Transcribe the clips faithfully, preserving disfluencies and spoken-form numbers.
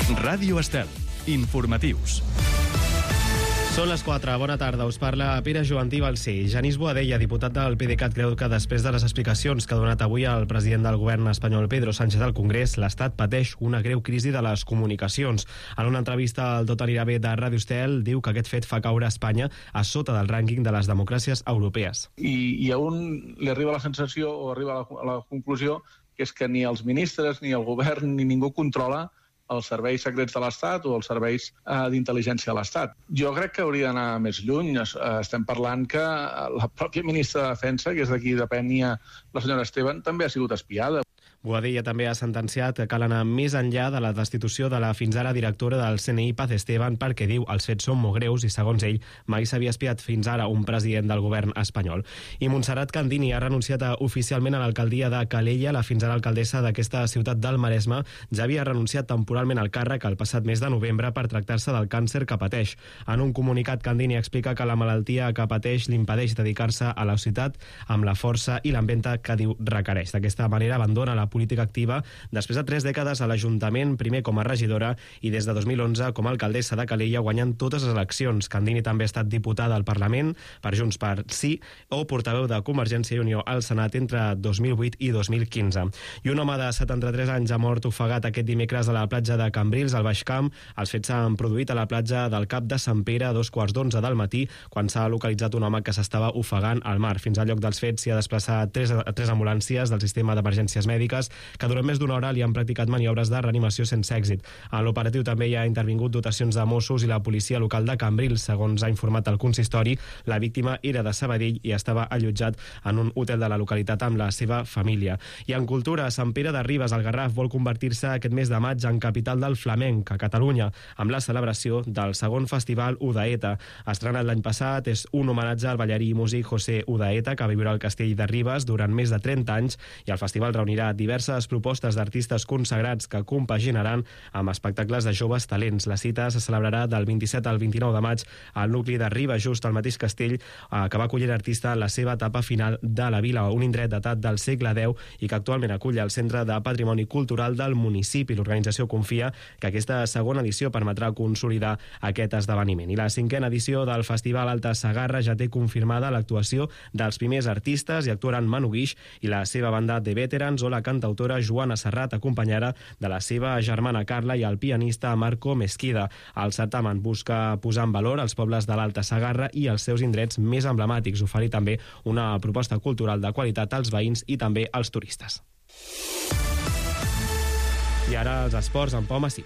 Ràdio Estel. Informatius. Són les quatre. Bona tarda. Us parla Pere Jovantí Balcer. Genís Boadella, diputat del PDeCAT, creu que després de les explicacions que ha donat avui el president del govern espanyol, Pedro Sánchez, al Congrés, l'Estat pateix una greu crisi de les comunicacions. En una entrevista al Tot anirà bé de Ràdio Estel, diu que aquest fet fa caure Espanya a sota del rànquing de les democràcies europees. I, i a un li arriba la sensació o arriba a la, a la conclusió que és que ni els ministres, ni el govern, ni ningú controla els serveis secrets de l'Estat o els serveis eh, d'intel·ligència de l'Estat. Jo crec que hauria d'anar més lluny. Es, eh, estem parlant que la pròpia ministra de Defensa, que és d'aquí depenia la senyora Esteban, també ha sigut espiada. Boadella també ha sentenciat que cal anar més enllà de la destitució de la fins ara directora del C N I, Paz Esteban, perquè diu els fets són molt greus i, segons ell, mai s'havia espiat fins ara un president del govern espanyol. I Montserrat Candini ha renunciat a, oficialment a l'alcaldia de Calella. La fins ara alcaldessa d'aquesta ciutat del Maresme ja havia renunciat temporalment al càrrec el passat mes de novembre per tractar-se del càncer que pateix. En un comunicat, Candini explica que la malaltia que pateix l'impedeix dedicar-se a la ciutat amb la força i l'empenta que diu requereix. D'aquesta manera abandona la política activa després de tres dècades a l'Ajuntament, primer com a regidora i des de dos mil onze com a alcaldessa de Calella, guanyant totes les eleccions. Candini també ha estat diputada al Parlament per Junts per Sí o portaveu de Convergència i Unió al Senat entre dos mil vuit i dos mil quinze. I un home de setanta-tres anys ha mort ofegat aquest dimecres a la platja de Cambrils, al Baix Camp. Els fets s'han produït a la platja del Cap de Sant Pere a dos quarts d'onze del matí, quan s'ha localitzat un home que s'estava ofegant al mar. Fins al lloc dels fets s'hi ha desplaçat tres, tres ambulàncies del sistema d'emergències mèdiques que durant més d'una hora li han practicat maniobres de reanimació sense èxit. A l'operatiu també hi ha intervingut dotacions de Mossos i la policia local de Cambrils. Segons ha informat el consistori, la víctima era de Sabadell i estava allotjat en un hotel de la localitat amb la seva família. I en cultura, Sant Pere de Ribes, al Garraf, vol convertir-se aquest mes de maig en capital del flamenc a Catalunya, amb la celebració del segon festival Udaeta. Estrenat l'any passat, és un homenatge al ballarí i músic José Udaeta, que viurà al castell de Ribes durant més de trenta anys, i el festival reunirà diverses propostes d'artistes consagrats que compaginaran amb espectacles de joves talents. La cita se celebrarà del vint-i-set al vint-i-nou de maig al nucli de Ribes, just al mateix castell eh, que va acollir l'artista en la seva etapa final de la vila, un indret datat del segle deu i que actualment acull el Centre de Patrimoni Cultural del municipi. L'organització confia que aquesta segona edició permetrà consolidar aquest esdeveniment. I la cinquena edició del Festival Alta Segarra ja té confirmada l'actuació dels primers artistes i actuaran Manu Guix i la seva banda de Veterans o la cantautora Joana Serrat, acompanyada de la seva germana Carla i el pianista Marco Mesquida. El certamen busca posar en valor els pobles de l'Alta Segarra i els seus indrets més emblemàtics, oferir també una proposta cultural de qualitat als veïns i també als turistes. I ara els esports amb Pau Massí.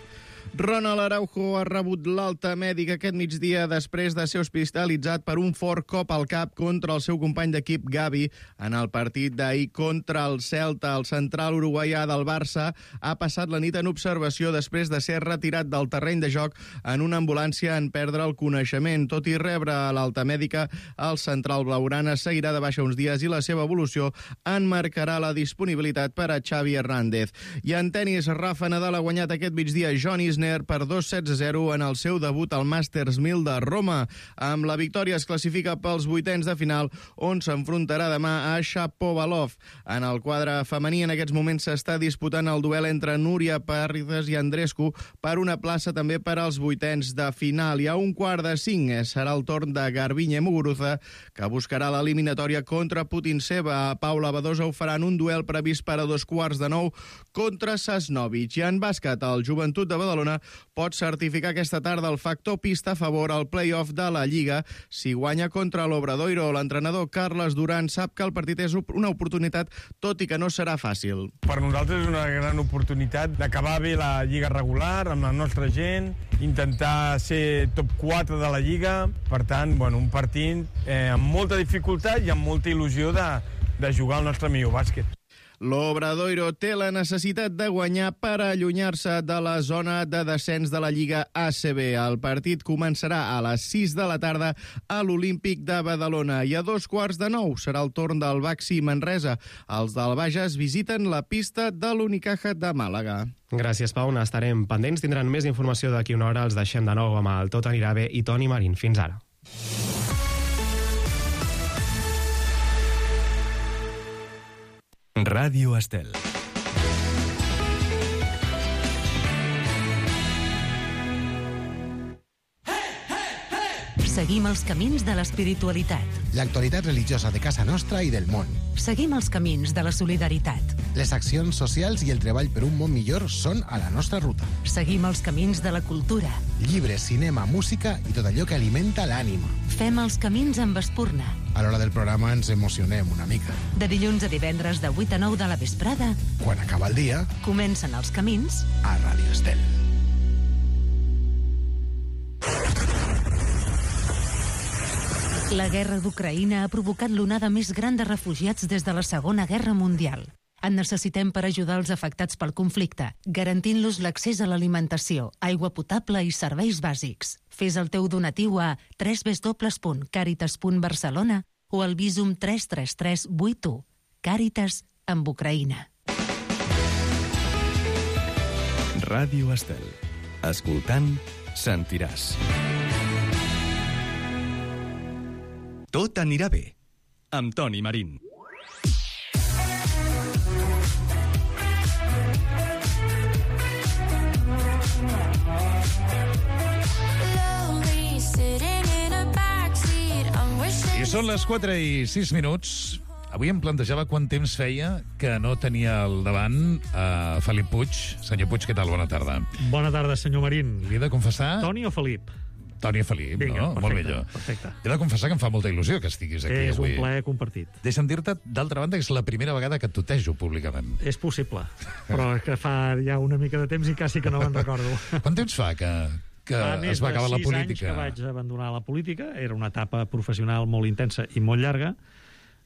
Ronald Araujo ha rebut l'alta mèdica aquest migdia després de ser hospitalitzat per un fort cop al cap contra el seu company d'equip Gavi en el partit d'ahir contra el Celta. El central uruguaià del Barça ha passat la nit en observació després de ser retirat del terreny de joc en una ambulància en perdre el coneixement. Tot i rebre l'alta mèdica, el central blaugrana seguirà de baixa uns dies i la seva evolució en marcarà la disponibilitat per a Xavi Hernández. I en tenis, Rafa Nadal ha guanyat aquest migdia John Isner per dos sets a zero en el seu debut al Masters mil de Roma. Amb la victòria es classifica pels vuitens de final, on s'enfrontarà demà a Shapovalov. En el quadre femení, en aquests moments s'està disputant el duel entre Núria Parrides i Andrescu per una plaça també per als vuitens de final. I a un quart de cinc serà el torn de Garbiñe Muguruza, que buscarà l'eliminatòria contra Putintseva. A Paula Badosa ho farà en un duel previst per a dos quarts de nou contra Sasnovic. I en bàsquet, el Joventut de Badalona pot certificar aquesta tarda el factor pista a favor al play-off de la Lliga si guanya contra l'Obradoiro. L'entrenador Carles Duran sap que el partit és una oportunitat, tot i que no serà fàcil. Per nosaltres és una gran oportunitat d'acabar bé la Lliga regular amb la nostra gent, intentar ser top quatre de la Lliga. Per tant, bueno, un partit eh, amb molta dificultat i amb molta il·lusió de, de jugar al nostre millor bàsquet. L'Obradoiro té la necessitat de guanyar per allunyar-se de la zona de descens de la Lliga A C B. El partit començarà a les sis de la tarda a l'Olímpic de Badalona i a dos quarts de nou serà el torn del Baxi Manresa. Els del Bages visiten la pista de l'Unicaja de Màlaga. Gràcies, Pau. N'estarem pendents. Tindran més informació d'aquí una hora. Els deixem de nou amb el Tot anirà bé i Toni Marín. Fins ara. Ràdio Estel. Seguim els camins de l'espiritualitat. L'actualitat religiosa de casa nostra i del món. Seguim els camins de la solidaritat. Les accions socials i el treball per un món millor són a la nostra ruta. Seguim els camins de la cultura. Llibres, cinema, música i tot allò que alimenta l'ànima. Fem els camins amb Espurna. A l'hora del programa ens emocionem una mica. De dilluns a divendres de vuit a nou de la vesprada, Quan acaba el dia, comencen els camins a Ràdio Estel. La guerra d'Ucraïna ha provocat l'onada més gran de refugiats des de la Segona Guerra Mundial. En necessitem per ajudar els afectats pel conflicte, garantint-los l'accés a l'alimentació, aigua potable i serveis bàsics. Fes el teu donatiu a w w w punt caritas punt barcelona o al Visum tres tres tres vuit u. Càritas amb Ucraïna. Ràdio Estel. Escoltant, sentiràs. Tot anirà bé. Amb Toni Marín. I són les quatre i sis minuts. Avui em plantejava quant temps feia que no tenia al davant a Felip Puig. Senyor Puig, què tal? Bona tarda. Bona tarda, senyor Marín. Li he de confessar... Toni o Felip? Toni o Felip, Vinga, no? perfecte, Molt millor. Perfecte. He de confessar que em fa molta il·lusió que estiguis aquí és avui. És un plaer compartit. Deixa'm dir-te, d'altra banda, que és la primera vegada que et tutejo públicament. És possible, però que fa ja una mica de temps i quasi que no me'n recordo. Quant temps fa que... que es va acabar la política? Fa més de sis anys que vaig abandonar la política. Era una etapa professional molt intensa i molt llarga.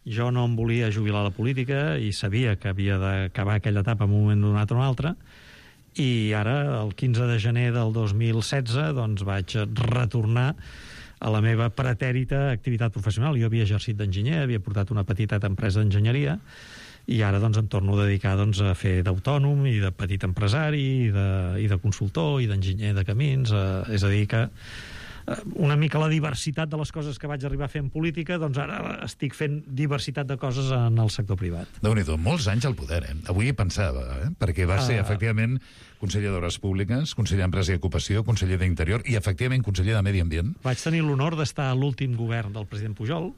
Jo no em volia jubilar a la política i sabia que havia d'acabar aquella etapa en un moment donat o un altre. I ara, el quinze de gener del dos mil setze, doncs vaig retornar a la meva pretèrita activitat professional. Jo havia exercit d'enginyer, havia portat una petita empresa d'enginyeria i ara doncs, em torno a dedicar doncs, a fer d'autònom i de petit empresari i de, i de consultor i d'enginyer de camins. Eh, és a dir que una mica la diversitat de les coses que vaig arribar a fer en política, doncs ara estic fent diversitat de coses en el sector privat. Déu-n'hi-do, molts anys al poder, eh? Avui hi pensava, eh? Perquè va ser, uh... efectivament, conseller d'Obres Públiques, conseller d'Empresa i Ocupació, conseller d'Interior i, efectivament, conseller de Medi Ambient. Vaig tenir l'honor d'estar a l'últim govern del president Pujol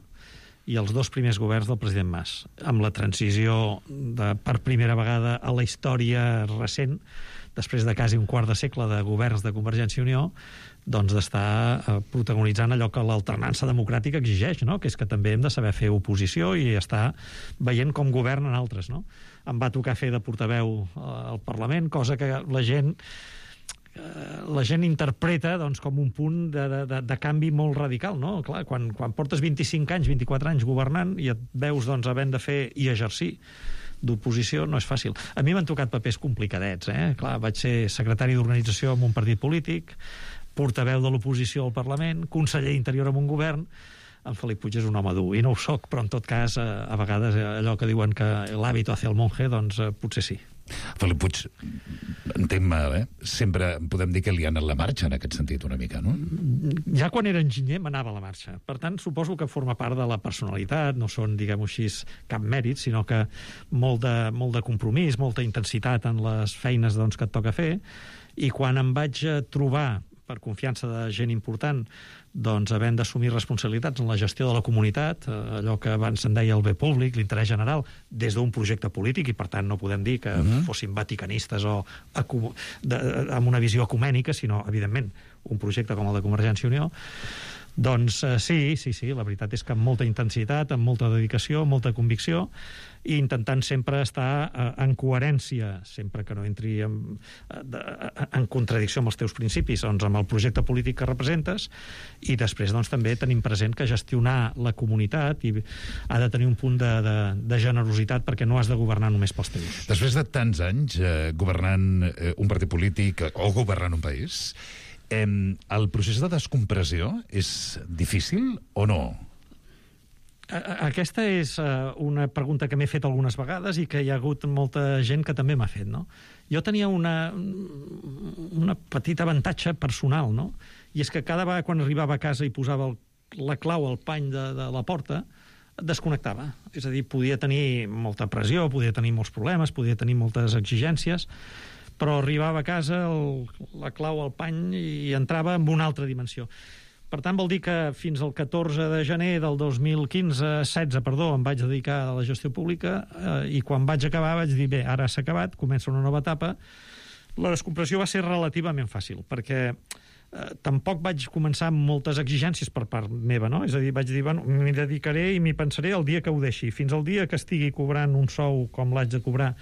i els dos primers governs del president Mas, amb la transició de, per primera vegada a la història recent, després de quasi un quart de segle de governs de Convergència i Unió, doncs d'estar eh, protagonitzant allò que l'alternança democràtica exigeix, no? Que és que també hem de saber fer oposició i estar veient com governen altres, no? Em va tocar fer de portaveu eh, al Parlament, cosa que la gent eh, la gent interpreta doncs, com un punt de, de, de canvi molt radical, no? Clar, quan, quan portes vint-i-cinc anys, vint-i-quatre anys governant i et veus doncs, havent de fer i exercir d'oposició, no és fàcil. A mi m'han tocat papers complicadets, eh? Clar, vaig ser secretari d'organització en un partit polític, portaveu de l'oposició al Parlament, conseller d'interior en un govern. En Felip Puig és un home dur, i no ho soc, però en tot cas, a vegades allò que diuen que l'hàbito hace el monje, doncs potser sí. Felip Puig, entenc-me, eh? Sempre podem dir que li ha anat la marxa en aquest sentit una mica, no? Ja quan era enginyer m'anava a la marxa. Per tant, suposo que forma part de la personalitat, no són, diguem-ho així, cap mèrit, sinó que molt de, molt de compromís, molta intensitat en les feines doncs, que et toca fer, i quan em vaig trobar per confiança de gent important, doncs havent d'assumir responsabilitats en la gestió de la comunitat, allò que abans se'n deia el bé públic, l'interès general, des d'un projecte polític, i per tant no podem dir que uh-huh. fossin vaticanistes o de, amb una visió ecumènica, sinó, evidentment, un projecte com el de Convergència i Unió. Doncs eh, sí, sí, sí, la veritat és que amb molta intensitat, amb molta dedicació, amb molta convicció, i intentant sempre estar eh, en coherència, sempre que no entri en, en contradicció amb els teus principis, doncs amb el projecte polític que representes, i després doncs, també tenim present que gestionar la comunitat i ha de tenir un punt de, de, de generositat, perquè no has de governar només pels teus. Després de tants anys eh, governant eh, un partit polític o governant un país, eh, el procés de descompressió és difícil o no? Aquesta és una pregunta que m'he fet algunes vegades i que hi ha hagut molta gent que també m'ha fet, no? Jo tenia una, una petita avantatge personal, no? I és que cada vegada quan arribava a casa i posava el, la clau al pany de, de la porta, desconnectava. És a dir, podia tenir molta pressió, podia tenir molts problemes, podia tenir moltes exigències, però arribava a casa, el, la clau al pany, i entrava en una altra dimensió. Per tant, vol dir que fins al catorze de gener del dos mil quinze, setze, perdó, em vaig dedicar a la gestió pública eh, i quan vaig acabar vaig dir, bé, ara s'ha acabat, comença una nova etapa. La descompressió va ser relativament fàcil, perquè eh, tampoc vaig començar amb moltes exigències per part meva, no? És a dir, vaig dir, bueno, m'hi dedicaré i m'hi pensaré el dia que ho deixi. Fins al dia que estigui cobrant un sou com l'haig de cobrar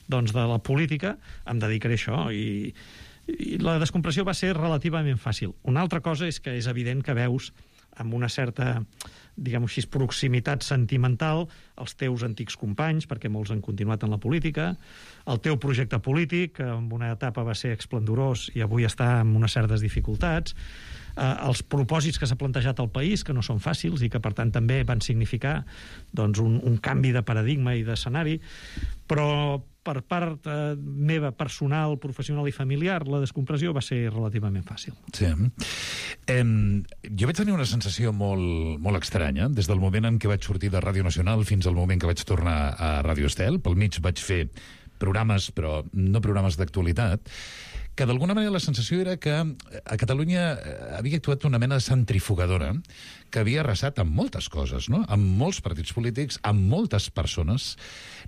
doncs, de la política, em dedicaré a això i... I la descompressió va ser relativament fàcil. Una altra cosa és que és evident que veus amb una certa, diguem-ho així, proximitat sentimental els teus antics companys, perquè molts han continuat en la política, el teu projecte polític, que en una etapa va ser esplendorós i avui està amb unes certes dificultats, eh, els propòsits que s'ha plantejat al país, que no són fàcils i que, per tant, també van significar doncs, un, un canvi de paradigma i d'escenari, però per part eh, meva, personal, professional i familiar, la descompressió va ser relativament fàcil. Sí. Eh, jo vaig tenir una sensació molt, molt estranya, des del moment en què vaig sortir de Ràdio Nacional fins al moment que vaig tornar a Ràdio Estel. Pel mig vaig fer programes, però no programes d'actualitat, que d'alguna manera la sensació era que a Catalunya havia actuat una mena de centrifugadora que havia arrasat amb moltes coses, no? Amb molts partits polítics, amb moltes persones.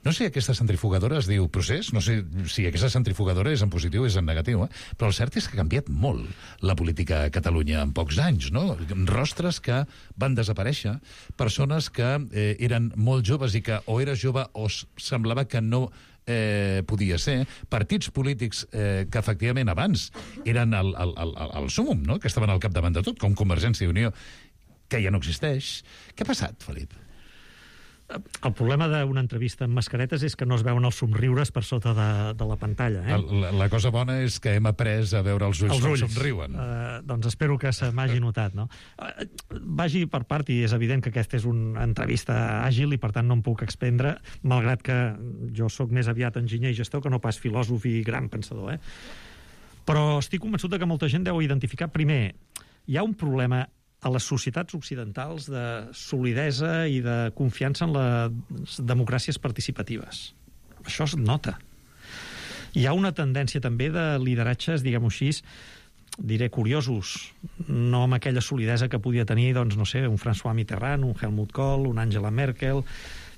No sé, aquesta centrifugadora es diu procés, no sé si aquesta centrifugadora és en positiu o és en negatiu, eh? Però el cert és que ha canviat molt la política a Catalunya en pocs anys, no? Rostres que van desaparèixer, persones que eh, eren molt joves i que o era jove o semblava que no Eh, podia ser, partits polítics eh, que efectivament abans eren el, el, el, el súmum, no? Que estaven al capdavant de tot, com Convergència i Unió, que ja no existeix. Què ha passat, Felip? El problema d'una entrevista amb mascaretes és que no es veuen els somriures per sota de, de la pantalla. Eh? La, la cosa bona és que hem après a veure els ulls, els ulls. com somriuen. Uh, doncs espero que se m'hagi notat. No? Uh, vagi per part, i és evident que aquesta és una entrevista àgil i per tant no em puc expendre, malgrat que jo sóc més aviat enginyer i gestor que no pas filòsof i gran pensador. Eh? Però estic convençut que molta gent deu identificar, primer, hi ha un problema a les societats occidentals de solidesa i de confiança en les democràcies participatives. Això es nota. Hi ha una tendència també de lideratges, diguem-ho així, diré curiosos, no amb aquella solidesa que podia tenir, doncs, no sé, un François Mitterrand, un Helmut Kohl, un Angela Merkel,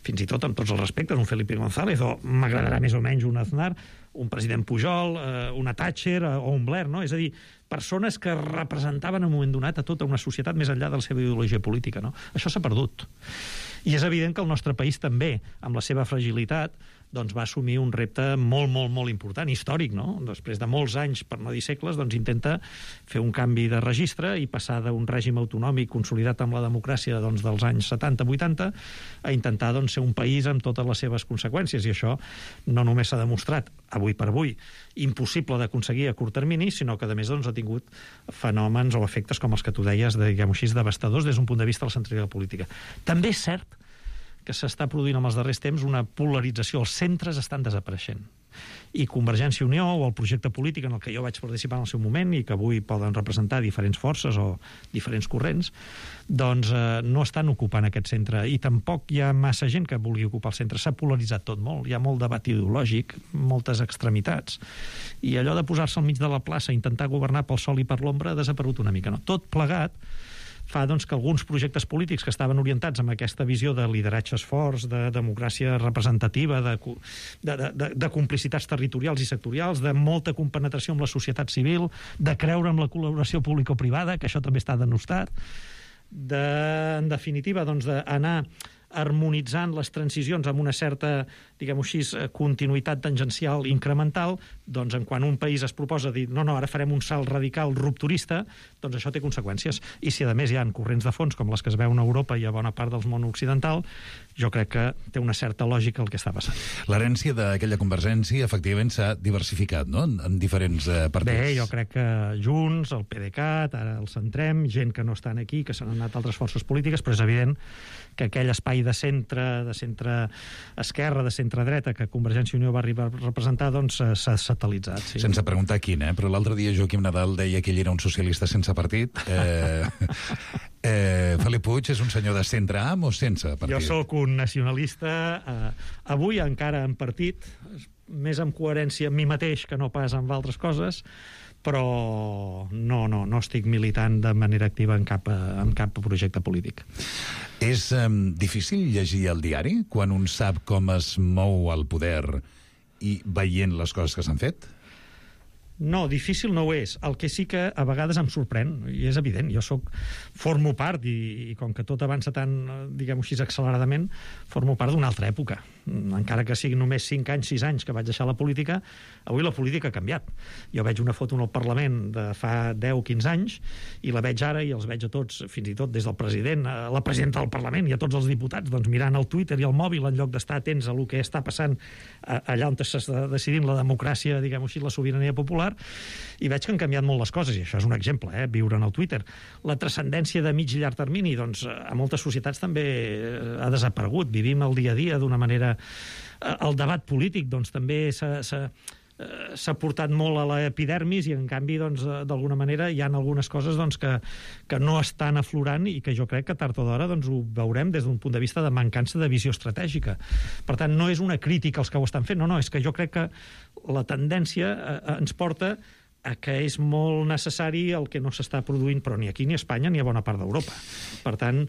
fins i tot amb tots els respectes, un Felipe González, o m'agradarà més o menys un Aznar, un president Pujol, eh, una Thatcher eh, o un Blair, no? És a dir, persones que representaven en un moment donat a tota una societat més enllà de la seva ideologia política, no? Això s'ha perdut. I és evident que el nostre país també, amb la seva fragilitat, doncs va assumir un repte molt, molt, molt important, històric, no? Després de molts anys, per no dir segles, doncs intenta fer un canvi de registre i passar d'un règim autonòmic consolidat amb la democràcia doncs, dels anys setanta vuitanta a intentar doncs, ser un país amb totes les seves conseqüències. I això no només s'ha demostrat, avui per avui, impossible d'aconseguir a curt termini, sinó que, a més, doncs, ha tingut fenòmens o efectes com els que tu deies, de, diguem-ho així, devastadors des d'un punt de vista de la centralitat política. També és cert que s'està produint en els darrers temps una polarització. Els centres estan desapareixent. I Convergència i Unió, o el projecte polític en el que jo vaig participar en el seu moment i que avui poden representar diferents forces o diferents corrents, doncs eh, no estan ocupant aquest centre. I tampoc hi ha massa gent que vulgui ocupar el centre. S'ha polaritzat tot molt. Hi ha molt debat ideològic, moltes extremitats. I allò de posar-se al mig de la plaça, intentar governar pel sol i per l'ombra, ha desaparegut una mica. No? Tot plegat fa doncs, que alguns projectes polítics que estaven orientats amb aquesta visió de lideratges forts, de democràcia representativa, de, de, de, de complicitats territorials i sectorials, de molta compenetració amb la societat civil, de creure en la col·laboració público-privada, que això també està denostat, de, en definitiva, doncs, d'anar harmonitzant les transicions amb una certa, diguem-ho així, continuïtat tangencial incremental, doncs en quan un país es proposa dir no, no, ara farem un salt radical rupturista, doncs això té conseqüències. I si a més hi ha corrents de fons com les que es veuen a Europa i a bona part del món occidental, jo crec que té una certa lògica el que està passant. L'herència d'aquella Convergència efectivament s'ha diversificat, no?, en diferents eh, partits. Bé, jo crec que Junts, el PDeCAT, ara el Centrem, gent que no estan aquí, que s'han anat a altres forces polítiques, però és evident que aquell espai de centre, de centre esquerra, de centre dreta, que Convergència i Unió va arribar a representar, doncs s'ha satelitzat. Sí. Sense preguntar quin, eh? Però l'altre dia Joaquim Nadal deia que ell era un socialista sense partit. Eh, eh, Felip Puig és un senyor de centre am o sense partit? Jo sóc un nacionalista, eh, avui encara en partit, més amb coherència amb mi mateix que no pas amb altres coses, però no, no, no estic militant de manera activa en cap, en cap projecte polític. És um, difícil llegir el diari quan un sap com es mou el poder i veient les coses que s'han fet? No, difícil no ho és. El que sí que a vegades em sorprèn, i és evident, jo soc, formo part, i, i com que tot avança tan, diguem-ho així, acceleradament, formo part d'una altra època. Encara que siguin només cinc anys, sis anys que vaig deixar la política, avui la política ha canviat. Jo veig una foto en el Parlament de fa deu o quinze anys, i la veig ara, i els veig a tots, fins i tot des del president, a la presidenta del Parlament i a tots els diputats, doncs mirant el Twitter i el mòbil en lloc d'estar atents a el que està passant allà on s'està decidint la democràcia, diguem-ho així, la sobirania popular, i veig que han canviat molt les coses, i això és un exemple, eh, viure en el Twitter. La transcendència de mig i llarg termini, doncs, a moltes societats també ha desaparegut. Vivim el dia a dia d'una manera... El debat polític, doncs, també s'ha... s'ha portat molt a l'epidermis i, en canvi, doncs, d'alguna manera hi ha algunes coses doncs, que, que no estan aflorant i que jo crec que tard o d'hora doncs, ho veurem des d'un punt de vista de mancança de visió estratègica. Per tant, no és una crítica als que ho estan fent, no, no, és que jo crec que la tendència eh, ens porta a que és molt necessari el que no s'està produint, però ni aquí ni a Espanya ni a bona part d'Europa. Per tant,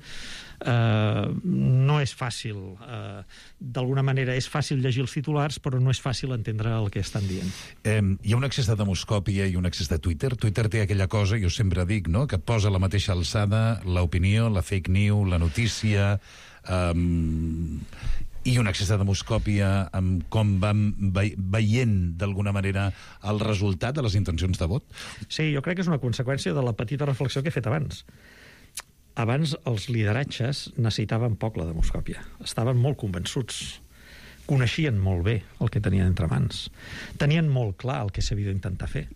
eh, no és fàcil. Eh, d'alguna manera és fàcil llegir els titulars, però no és fàcil entendre el que estan dient. Eh, hi ha un excés de demoscòpia i un excés de Twitter. Twitter té aquella cosa, jo sempre dic, no?, que posa a la mateixa alçada l'opinió, la fake news, la notícia... Eh, i un excés de demoscòpia amb com vam veient d'alguna manera el resultat de les intencions de vot? Sí, jo crec que és una conseqüència de la petita reflexió que he fet abans. Abans els lideratges necessitaven poc la demoscòpia. Estaven molt convençuts. Coneixien molt bé el que tenien entre mans. Tenien molt clar el que s'havia d'intentar fer.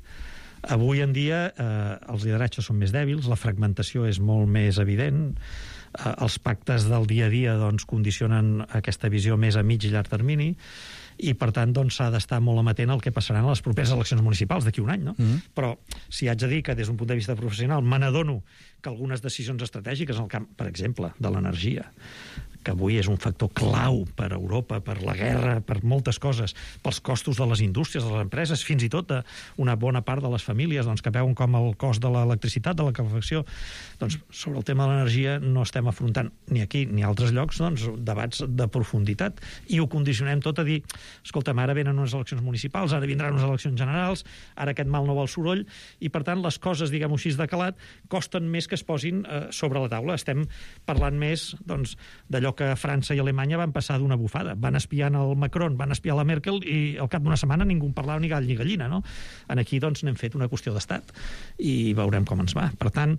Avui en dia eh, els lideratges són més dèbils, la fragmentació és molt més evident, eh, els pactes del dia a dia doncs, condicionen aquesta visió més a mig i llarg termini, i per tant doncs, s'ha d'estar molt amatent al que passaran a les properes eleccions municipals d'aquí un any, no? Mm-hmm. Però si haig de dir que des d'un punt de vista professional me n'adono que algunes decisions estratègiques en el camp, per exemple, de l'energia, que avui és un factor clau per a Europa, per la guerra, per moltes coses, pels costos de les indústries, de les empreses, fins i tot una bona part de les famílies doncs, que veuen com el cost de l'electricitat, de la calefacció, doncs sobre el tema de l'energia no estem afrontant ni aquí ni a altres llocs doncs, debats de profunditat, i ho condicionem tot a dir, escolta'm, ara venen unes eleccions municipals, ara vindran unes eleccions generals, ara aquest mal no vol soroll, i per tant les coses, diguem-ho així, de calat, costen més que es posin eh, sobre la taula. Estem parlant més doncs, d'allò que França i Alemanya van passar d'una bufada. Van espiar el Macron, van espiar la Merkel, i al cap d'una setmana ningú en parlava ni gall ni gallina, no? En aquí, doncs, n'hem fet una qüestió d'estat i veurem com ens va. Per tant,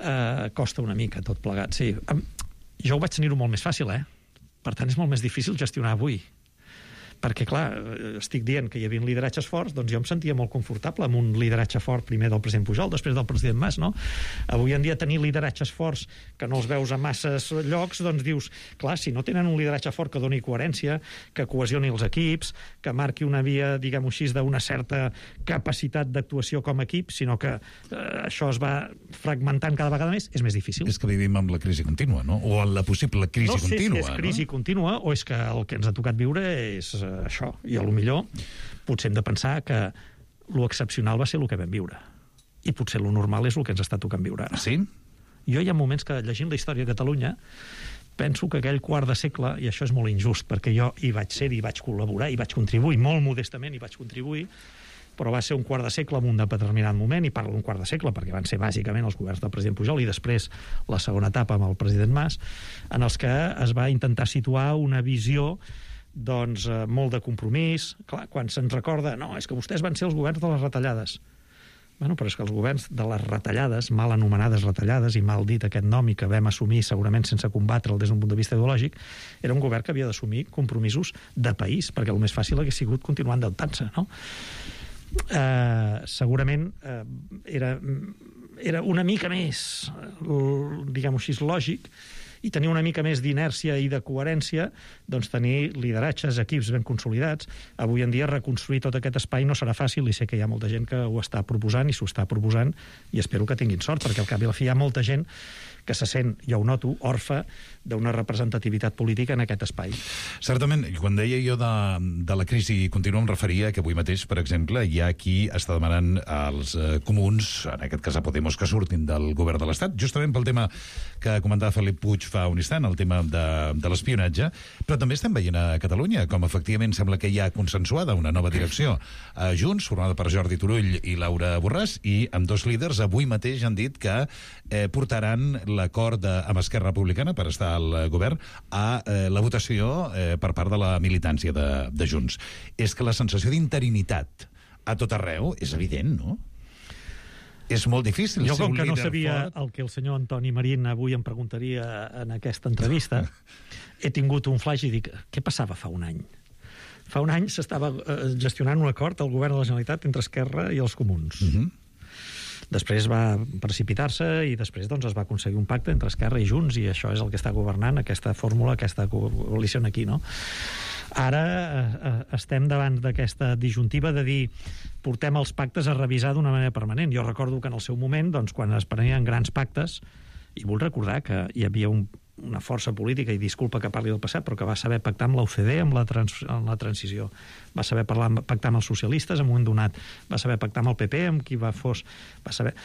eh, costa una mica tot plegat, sí. Jo ho vaig tenir-ho molt més fàcil, eh? Per tant, és molt més difícil gestionar avui. Perquè, clar, estic dient que hi havia lideratges forts, doncs jo em sentia molt confortable amb un lideratge fort, primer del president Pujol, després del president Mas, no? Avui en dia tenir lideratges forts que no els veus a masses llocs, doncs dius, clar, si no tenen un lideratge fort que doni coherència, que cohesioni els equips, que marqui una via, diguem-ho així, d'una certa capacitat d'actuació com a equip, sinó que eh, això es va fragmentant cada vegada més, és més difícil. És que vivim amb la crisi contínua, no? O amb la possible crisi contínua. No sé contínua, si és crisi no? contínua o és que el que ens ha tocat viure és això, i a lo millor potser hem de pensar que lo excepcional va ser el que vam viure i potser lo normal és el que ens està tocant viure ara. Sí? Jo hi ha moments que, llegint la història de Catalunya, penso que aquell quart de segle, i això és molt injust perquè jo hi vaig ser, hi vaig col·laborar, hi vaig contribuir, molt modestament hi vaig contribuir, però va ser un quart de segle en un determinat moment, i parlo d'un quart de segle perquè van ser bàsicament els governs del president Pujol i després la segona etapa amb el president Mas, en els que es va intentar situar una visió doncs eh, molt de compromís. Clar, quan se'ns recorda, no, és que vostès van ser els governs de les retallades. Bueno, però és que els governs de les retallades, mal anomenades retallades, i mal dit aquest nom i que vam assumir segurament sense combatre'l des d'un punt de vista ideològic, era un govern que havia d'assumir compromisos de país, perquè el més fàcil hagués sigut continuar endeutant-se, no? Eh, segurament eh, era, era una mica més, diguem-ho així, lògic, i tenir una mica més d'inèrcia i de coherència, doncs tenir lideratges, equips ben consolidats. Avui en dia reconstruir tot aquest espai no serà fàcil, i sé que hi ha molta gent que ho està proposant i s'ho està proposant, i espero que tinguin sort, perquè al cap i a la fi hi ha molta gent que se sent, jo ho noto, orfe d'una representativitat política en aquest espai. Certament, quan deia jo de, de la crisi continua, em referia que avui mateix, per exemple, hi ha qui està demanant als eh, comuns, en aquest cas a Podemos, que surtin del govern de l'Estat, justament pel tema que comentava Felip Puig fa un instant, el tema de, de l'espionatge, però també estem veient a Catalunya com efectivament sembla que hi ha consensuada una nova direcció a Junts, formada per Jordi Turull i Laura Borràs, i amb dos líders avui mateix han dit que eh, portaran l'acord amb Esquerra Republicana per estar al govern a eh, la votació eh, per part de la militància de, de Junts. És que la sensació d'interinitat a tot arreu és evident, no? És molt difícil. Jo, com que no sabia fort... el que el senyor Antoni Marín avui em preguntaria en aquesta entrevista, he tingut un flash i dic, què passava fa un any? Fa un any s'estava gestionant un acord al govern de la Generalitat entre Esquerra i els comuns. Uh-huh. Després va precipitar-se i després doncs, es va aconseguir un pacte entre Esquerra i Junts, i això és el que està governant, aquesta fórmula, aquesta coalició aquí, no? Ara eh, estem davant d'aquesta disjuntiva de dir portem els pactes a revisar d'una manera permanent. Jo recordo que en el seu moment, doncs, quan es prenien grans pactes, i vull recordar que hi havia un, una força política, i disculpa que parli del passat, però que va saber pactar amb l'O C D amb la, trans, amb la transició, va saber parlar, pactar amb els socialistes en un moment donat, va saber pactar amb el P P, amb qui va fos... Va saber...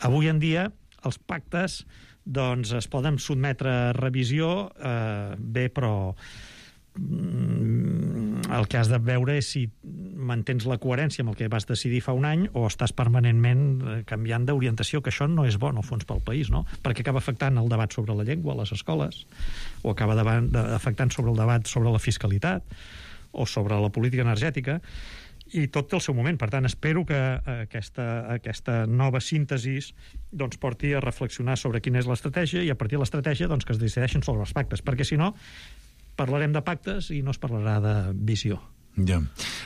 Avui en dia, els pactes doncs, es poden sotmetre a revisió, eh, bé, però el que has de veure és si mantens la coherència amb el que vas decidir fa un any o estàs permanentment canviant d'orientació, que això no és bo, en el fons, pel país, no? Perquè acaba afectant el debat sobre la llengua a les escoles, o acaba afectant sobre el debat sobre la fiscalitat o sobre la política energètica, i tot té el seu moment. Per tant, espero que aquesta, aquesta nova síntesi doncs, porti a reflexionar sobre quina és l'estratègia, i a partir de l'estratègia doncs, que es decideixin sobre els pactes, perquè si no parlarem de pactes i no es parlarà de visió. Ja.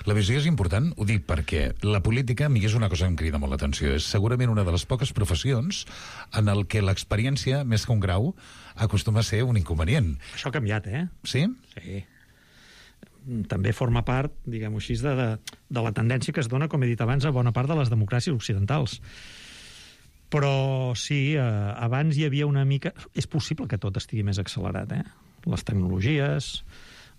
La visió és important, ho dic perquè la política, a mi és una cosa que em crida molt l'atenció, és segurament una de les poques professions en el que l'experiència, més que un grau, acostuma a ser un inconvenient. Això ha canviat, eh? Sí? Sí. També forma part, diguem-ho així, de, de, de la tendència que es dona, com he dit abans, a bona part de les democràcies occidentals. Però sí, eh, abans hi havia una mica... És possible que tot estigui més accelerat, eh? Les tecnologies,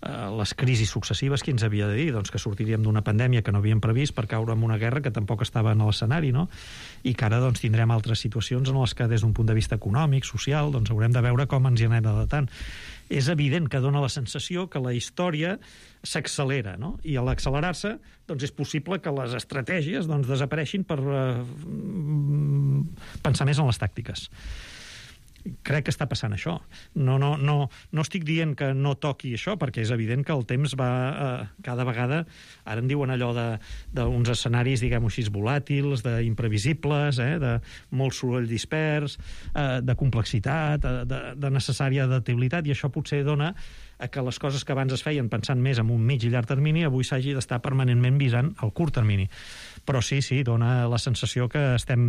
eh, les crisis successives, qui ens havia de dir? Doncs que sortiríem d'una pandèmia que no havíem previst per caure en una guerra que tampoc estava en l'escenari, no? I que ara doncs, tindrem altres situacions en les que des d'un punt de vista econòmic, social, doncs haurem de veure com ens hi anem adaptant. És evident que dona la sensació que la història s'accelera, no? I a l'accelerar-se doncs és possible que les estratègies doncs, desapareixin per eh, pensar més en les tàctiques. Crec que està passant això. No, no, no, no estic dient que no toqui això, perquè és evident que el temps va eh, cada vegada, ara en diuen allò d'uns escenaris, diguem-ho així, volàtils, d'imprevisibles, eh, de molt soroll dispers, eh, de complexitat, de, de necessària adaptabilitat, i això potser dona a que les coses que abans es feien pensant més en un mig i llarg termini, avui s'hagi d'estar permanentment visant al curt termini. Però sí, sí, dona la sensació que estem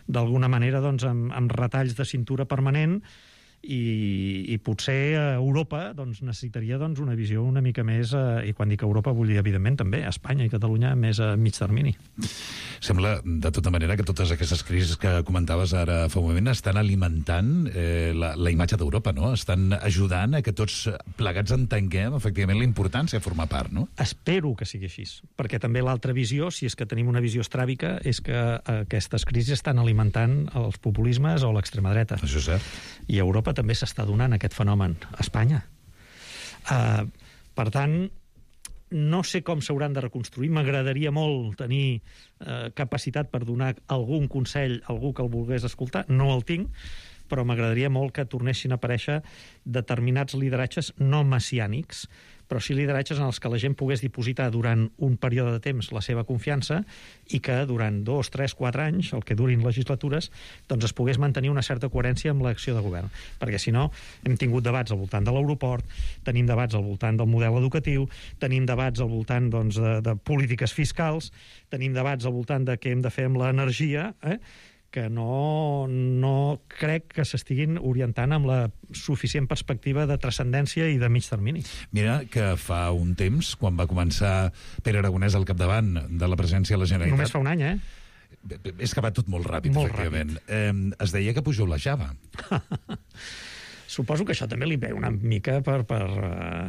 d'alguna manera doncs, amb, amb retalls de cintura permanent, i, i potser Europa doncs, necessitaria doncs, una visió una mica més, eh, i quan dic Europa vull dir evidentment també Espanya i Catalunya més a mig termini. Sembla de tota manera que totes aquestes crisis que comentaves ara fa un moment estan alimentant eh, la, la imatge d'Europa, no? Estan ajudant a que tots plegats entenguem efectivament la importància de formar part, no? Espero que sigui així, perquè també l'altra visió, si és que tenim una visió estràbica, és que aquestes crisis estan alimentant els populismes o l'extrema dreta. Això és cert. I a Europa també s'està donant aquest fenomen, a Espanya. Uh, per tant, no sé com s'hauran de reconstruir. M'agradaria molt tenir uh, capacitat per donar algun consell a algú que el volgués escoltar. No el tinc, però m'agradaria molt que tornessin a aparèixer determinats lideratges no messiànics, però sí lideratges en els que la gent pogués dipositar durant un període de temps la seva confiança i que durant dos, tres, quatre anys, el que durin legislatures, doncs es pogués mantenir una certa coherència amb l'acció de govern. Perquè si no, hem tingut debats al voltant de l'aeroport, tenim debats al voltant del model educatiu, tenim debats al voltant doncs, de, de polítiques fiscals, tenim debats al voltant de què hem de fer amb l'energia, eh? que no, no crec que s'estiguin orientant amb la suficient perspectiva de transcendència i de mig termini. Mira que fa un temps, quan va començar Pere Aragonès al capdavant de la presidència de la Generalitat... Només fa un any, eh? És que va tot molt ràpid, molt efectivament. Eh, es deia que Pujol la Java. Suposo que això també li ve una mica per... per uh,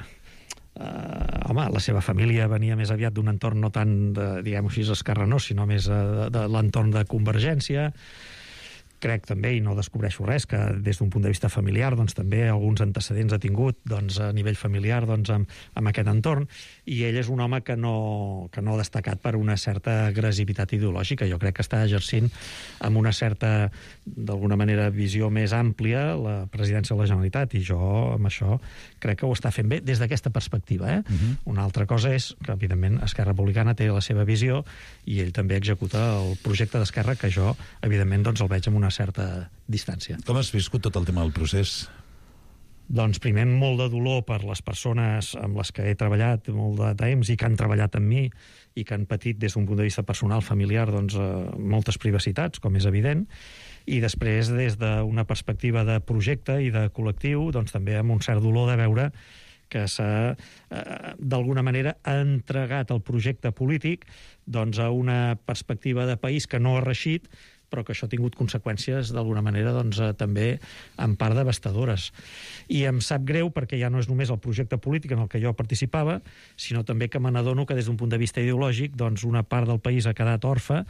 uh, home, la seva família venia més aviat d'un entorn no tant, de, diguem-ho així, esquerranós, sinó més uh, de, de l'entorn de Convergència. Crec també, i no descobreixo res, que des d'un punt de vista familiar doncs, també alguns antecedents ha tingut doncs, a nivell familiar doncs, amb, amb aquest entorn, i ell és un home que no, que no ha destacat per una certa agressivitat ideològica. Jo crec que està exercint amb una certa, d'alguna manera, visió més àmplia la presidència de la Generalitat, i jo amb això crec que ho està fent bé des d'aquesta perspectiva. Eh? Uh-huh. Una altra cosa és que, evidentment, Esquerra Republicana té la seva visió i ell també executa el projecte d'Esquerra, que jo, evidentment, doncs, el veig amb una certa distància. Com has viscut tot el tema del procés? Doncs primer molt de dolor per les persones amb les que he treballat molt de temps i que han treballat amb mi i que han patit des d'un punt de vista personal, familiar, doncs, eh, moltes privacitats, com és evident, i després des d'una perspectiva de projecte i de col·lectiu, doncs també amb un cert dolor de veure que s'ha, eh, d'alguna manera, entregat el projecte polític doncs, a una perspectiva de país que no ha reixit, però que això ha tingut conseqüències, d'alguna manera, doncs, eh, també en part devastadores. I em sap greu perquè ja no és només el projecte polític en el que jo participava, sinó també que me n'adono que des d'un punt de vista ideològic doncs, una part del país ha quedat orfe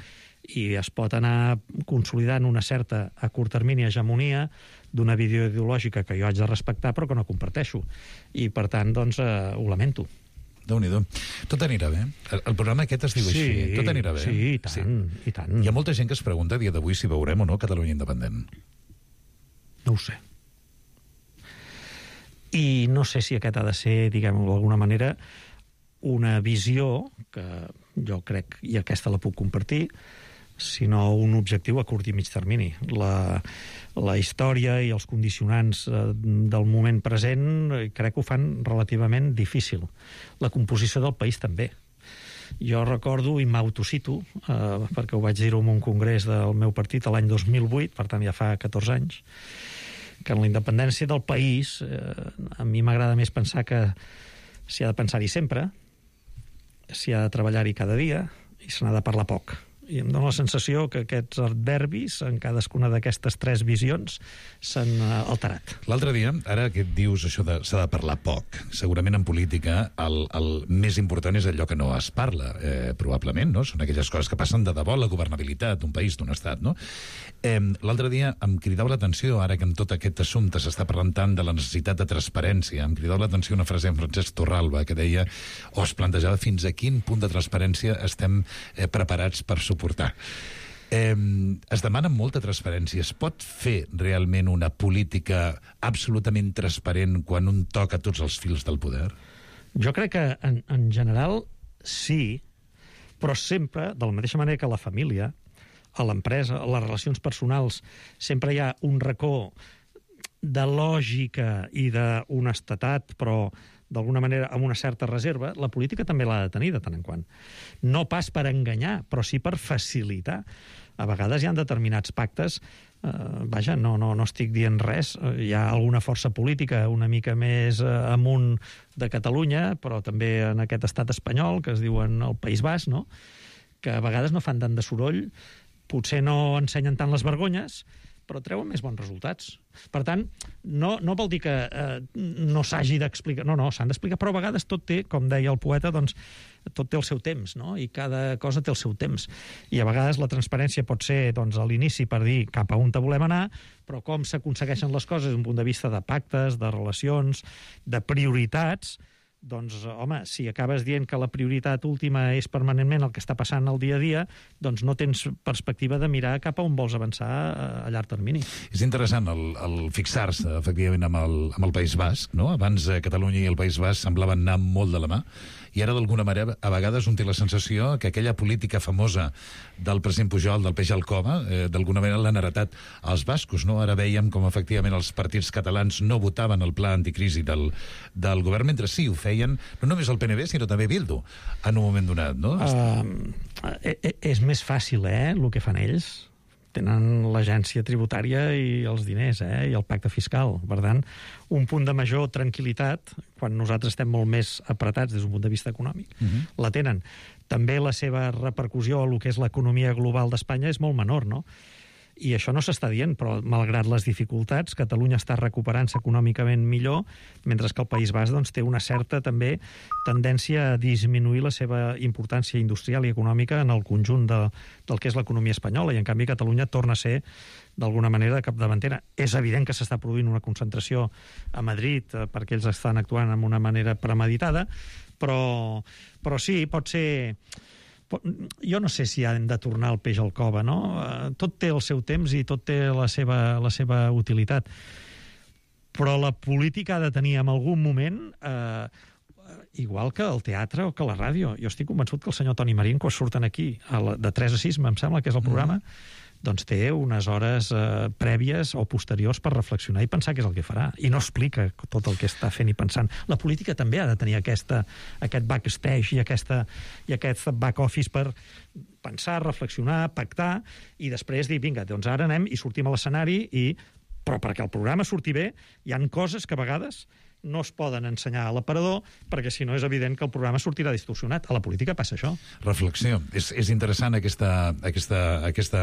i es pot anar consolidant una certa, a curt termini, hegemonia d'una visió ideològica que jo haig de respectar però que no comparteixo. I, per tant, doncs, eh, ho lamento. Déu-n'hi-do. Tot anirà bé. El, el programa aquest es diu sí, així. Tot anirà bé. Sí, i tant, sí. i tant. Hi ha molta gent que es pregunta a dia d'avui si veurem o no Catalunya independent. No ho sé. I no sé si aquest ha de ser, diguem-ho d'alguna manera, una visió, que jo crec, i aquesta la puc compartir, sinó un objectiu a curt i mig termini. La, la història i els condicionants eh, del moment present eh, crec que ho fan relativament difícil. La composició del país també. Jo recordo, i m'autocito, eh, perquè ho vaig dir-ho en un congrés del meu partit l'any dos mil vuit, per tant ja fa catorze anys, que en la independència del país eh, a mi m'agrada més pensar que s'hi ha de pensar-hi sempre, s'hi ha de treballar-hi cada dia i se n'ha de parlar poc. I em dóna la sensació que aquests adverbis en cadascuna d'aquestes tres visions s'han alterat. L'altre dia, ara que et dius això de s'ha de parlar poc, segurament en política el, el més important és allò que no es parla, eh, probablement, no? Són aquelles coses que passen de debò la governabilitat d'un país, d'un estat, no? Eh, L'altre dia em cridava l'atenció, ara que en tot aquest assumpte s'està parlant tant de la necessitat de transparència, em cridava l'atenció una frase en Francesc Torralba que deia, o es plantejava fins a quin punt de transparència estem eh, preparats per suportar. Eh, es demana molta transparència. Es pot fer realment una política absolutament transparent quan un toca tots els fils del poder? Jo crec que en, en general sí, però sempre, de la mateixa manera que a la família, a l'empresa, a les relacions personals, sempre hi ha un racó de lògica i d'honestedat, però d'alguna manera amb una certa reserva. La política també l'ha de tenir de tant en quant. No pas per enganyar, però sí per facilitar. A vegades hi ha determinats pactes, eh, vaja, no, no, no estic dient res, hi ha alguna força política una mica més eh, amunt de Catalunya, però també en aquest estat espanyol, que es diuen el País Basc, no? Que a vegades no fan tant de soroll, potser no ensenyen tant les vergonyes, però treuen més bons resultats. Per tant, no, no vol dir que eh, no s'hagi d'explicar, no, no, s'han d'explicar, però a vegades tot té, com deia el poeta, doncs, tot té el seu temps, no? I cada cosa té el seu temps. I a vegades la transparència pot ser, doncs, a l'inici per dir cap a on te volem anar, però com s'aconsegueixen les coses des d'un punt de vista de pactes, de relacions, de prioritats, doncs, home, si acabes dient que la prioritat última és permanentment el que està passant al dia a dia, doncs no tens perspectiva de mirar cap a on vols avançar a llarg termini. És interessant el, el fixar-se, efectivament, amb el, amb el País Basc, no? Abans eh, Catalunya i el País Basc semblaven anar molt de la mà, i ara, d'alguna manera, a vegades un té la sensació que aquella política famosa del president Pujol, del peix al cova, eh, d'alguna manera l'han heretat als bascos, no? Ara veiem com, efectivament, els partits catalans no votaven el pla anticrisi del, del govern, mentre sí ho feien, no només el P N V, sinó també Bildu, en un moment donat, no? Uh, és més fàcil, eh, el que fan ells. tenen l'agència tributària i els diners, eh? I el pacte fiscal. Per tant, un punt de major tranquil·litat, quan nosaltres estem molt més apretats des d'un punt de vista econòmic, uh-huh. la tenen. També la seva repercussió a lo que és l'economia global d'Espanya és molt menor, no? I això no s'està dient, però malgrat les dificultats, Catalunya està recuperant-se econòmicament millor, mentre que el País Basc doncs, té una certa també tendència a disminuir la seva importància industrial i econòmica en el conjunt de, del que és l'economia espanyola, i en canvi Catalunya torna a ser d'alguna manera capdavantera. És evident que s'està produint una concentració a Madrid eh, perquè ells estan actuant amb una manera premeditada, però, però sí, pot ser... Jo no sé si hem de tornar el peix al cove, no? Tot té el seu temps i tot té la seva, la seva utilitat. Però la política ha de tenir en algun moment, eh, igual que el teatre o que la ràdio. Jo estic convençut que el senyor Toni Marín, quan surten aquí, a la, de tres a sis, em sembla que és el programa, mm. doncs té unes hores eh, prèvies o posteriors per reflexionar i pensar què és el que farà. I no explica tot el que està fent i pensant. La política també ha de tenir aquesta, aquest backstage i, aquesta, i aquest back office per pensar, reflexionar, pactar i després dir, vinga, doncs ara anem i sortim a l'escenari i... Però perquè el programa surti bé, hi han coses que a vegades no es poden ensenyar a l'aparador, perquè si no és evident que el programa sortirà distorsionat. A la política passa això. Reflexió. És, és interessant aquesta, aquesta, aquesta,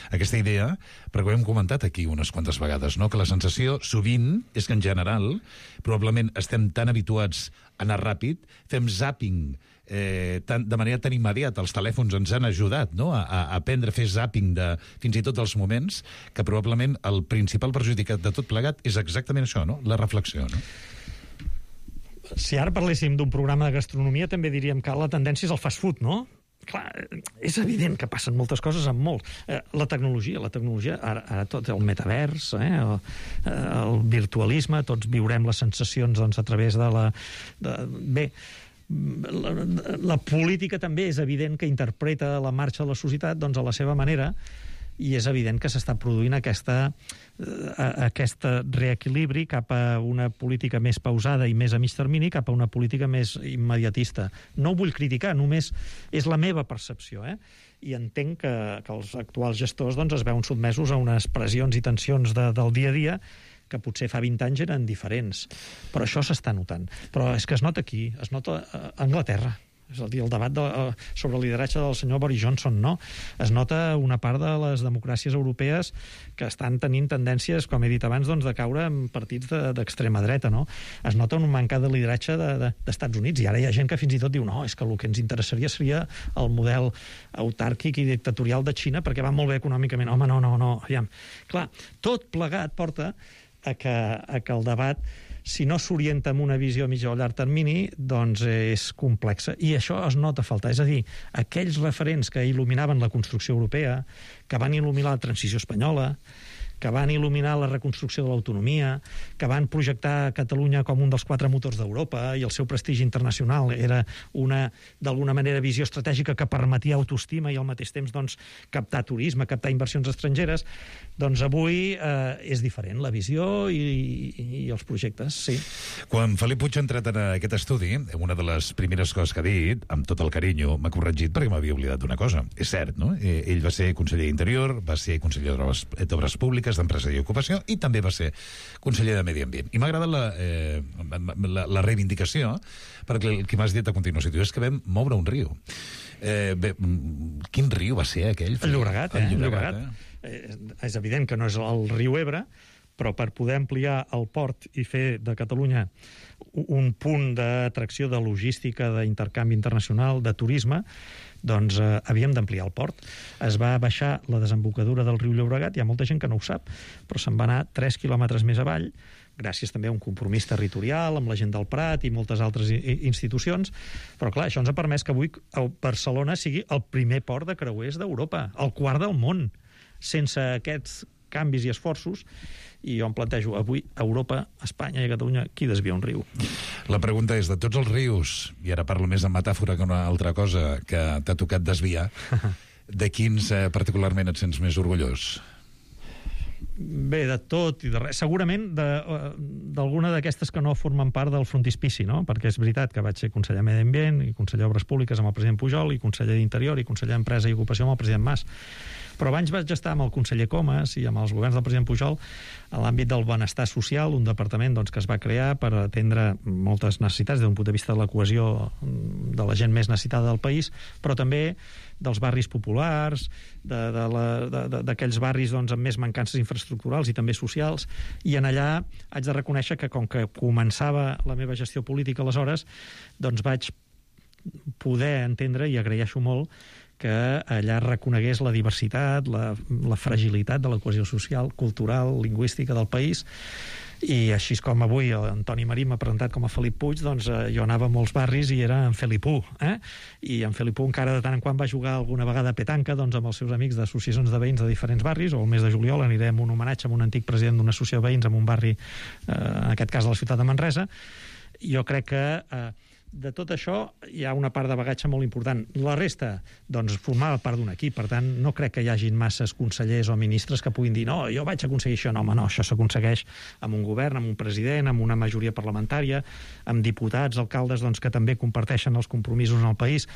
aquesta idea, perquè ho hem comentat aquí unes quantes vegades, no? Que la sensació sovint és que en general probablement estem tan habituats a anar ràpid, fem zapping eh, tan, de manera tan immediata. Els telèfons ens han ajudat, no? a, a aprendre a fer zapping de fins i tot els moments, que probablement el principal perjudicat de tot plegat és exactament això, no? La reflexió, no? Si ara parléssim d'un programa de gastronomia, també diríem que la tendència és el fast food, no? Clar, és evident que passen moltes coses amb molt. Eh, la tecnologia, la tecnologia, ara, ara tot el metavers, eh, el, el virtualisme, tots viurem les sensacions doncs, a través de la... De, bé, la, la política també és evident que interpreta la marxa de la societat doncs, a la seva manera, i és evident que s'està produint aquesta, aquest reequilibri cap a una política més pausada i més a mig termini, cap a una política més immediatista. No ho vull criticar, només és la meva percepció, eh? I entenc que, que els actuals gestors doncs, es veuen sotmesos a unes pressions i tensions de, del dia a dia que potser fa vint anys eren diferents. Però això s'està notant. Però és que es nota aquí, es nota a Anglaterra. És a dir, el debat de, sobre el lideratge del senyor Boris Johnson, no? Es nota una part de les democràcies europees que estan tenint tendències, com he dit abans, doncs, de caure en partits d'extrema de, dreta, no? Es nota un mancat de lideratge d'Estats de, de, Units, i ara hi ha gent que fins i tot diu no, és que el que ens interessaria seria el model autàrquic i dictatorial de Xina perquè va molt bé econòmicament. Home, no, no, no. Aviam. Clar, tot plegat porta a que, a que el debat, si no s'orienta amb una visió a mitjà o llarg termini, doncs és complexa. I això es nota faltar. És a dir, aquells referents que il·luminaven la construcció europea, que van il·luminar la transició espanyola, que van il·luminar la reconstrucció de l'autonomia, que van projectar Catalunya com un dels quatre motors d'Europa i el seu prestigi internacional era una, d'alguna manera, visió estratègica que permetia autoestima i al mateix temps doncs, captar turisme, captar inversions estrangeres, doncs avui eh, és diferent la visió i, i, i els projectes, sí. Quan Felip Puig ha entrat en aquest estudi, una de les primeres coses que ha dit, amb tot el carinyo, m'ha corregit perquè m'havia oblidat d'una cosa. És cert, no? Ell va ser conseller d'Interior, va ser conseller d'Obres Públiques, d'Empresa i Ocupació, i també va ser conseller de Medi Ambient. I m'ha agradat la, eh, la, la reivindicació, perquè el que m'has dit a continuació és que vam moure un riu. Eh, bé, quin riu va ser aquell? El Llobregat, eh? El Llobregat. Eh? Eh, és evident que no és el riu Ebre, però per poder ampliar el port i fer de Catalunya un punt d'atracció de logística, d'intercanvi internacional, de turisme, doncs eh, havíem d'ampliar el port. Es va baixar la desembocadura del riu Llobregat, hi ha molta gent que no ho sap, però se'n va anar tres quilòmetres més avall, gràcies també a un compromís territorial amb la gent del Prat i moltes altres institucions, però clar, això ens ha permès que avui Barcelona sigui el primer port de creuers d'Europa, el quart del món. Sense aquests canvis i esforços, i jo em plantejo avui a Europa, a Espanya i a Catalunya, qui desvia un riu? La pregunta és, de tots els rius, i ara parlo més en metàfora que una altra cosa que t'ha tocat desviar, de quins eh, particularment et sents més orgullós? Bé, de tot i de res. Segurament d'alguna d'aquestes que no formen part del frontispici, no? Perquè és veritat que vaig ser conseller de Medi Ambient i conseller d'Obres Públiques amb el president Pujol i conseller d'Interior i conseller d'Empresa i Ocupació amb el president Mas. Però abans vaig estar amb el conseller Comas i amb els governs del president Pujol a l'àmbit del benestar social, un departament doncs, que es va crear per atendre moltes necessitats des d'un punt de vista de la cohesió de la gent més necessitada del país, però també dels barris populars, d'aquells barris doncs, amb més mancances infraestructurals i també socials, i en allà haig de reconèixer que com que començava la meva gestió política aleshores, doncs vaig poder entendre, i agraeixo molt, que allà reconegués la diversitat, la, la fragilitat de la cohesió social, cultural, lingüística del país, i així com avui Antoni Marí m'ha presentat com a Felip Puig, doncs eh, jo anava a molts barris i era en Felipú, eh? I en Felipú encara de tant en quant va jugar alguna vegada a petanca doncs, amb els seus amics d'associacions de veïns de diferents barris, o el mes de juliol anirem a un homenatge a un antic president d'una associació de veïns en un barri, eh, en aquest cas de la ciutat de Manresa. Jo crec que eh, de tot això hi ha una part de bagatge molt important. La resta, doncs, formava part d'un equip, per tant, no crec que hi hagin masses consellers o ministres que puguin dir no, jo vaig aconseguir això. No, home, no, això s'aconsegueix amb un govern, amb un president, amb una majoria parlamentària, amb diputats, alcaldes, doncs, que també comparteixen els compromisos en el país,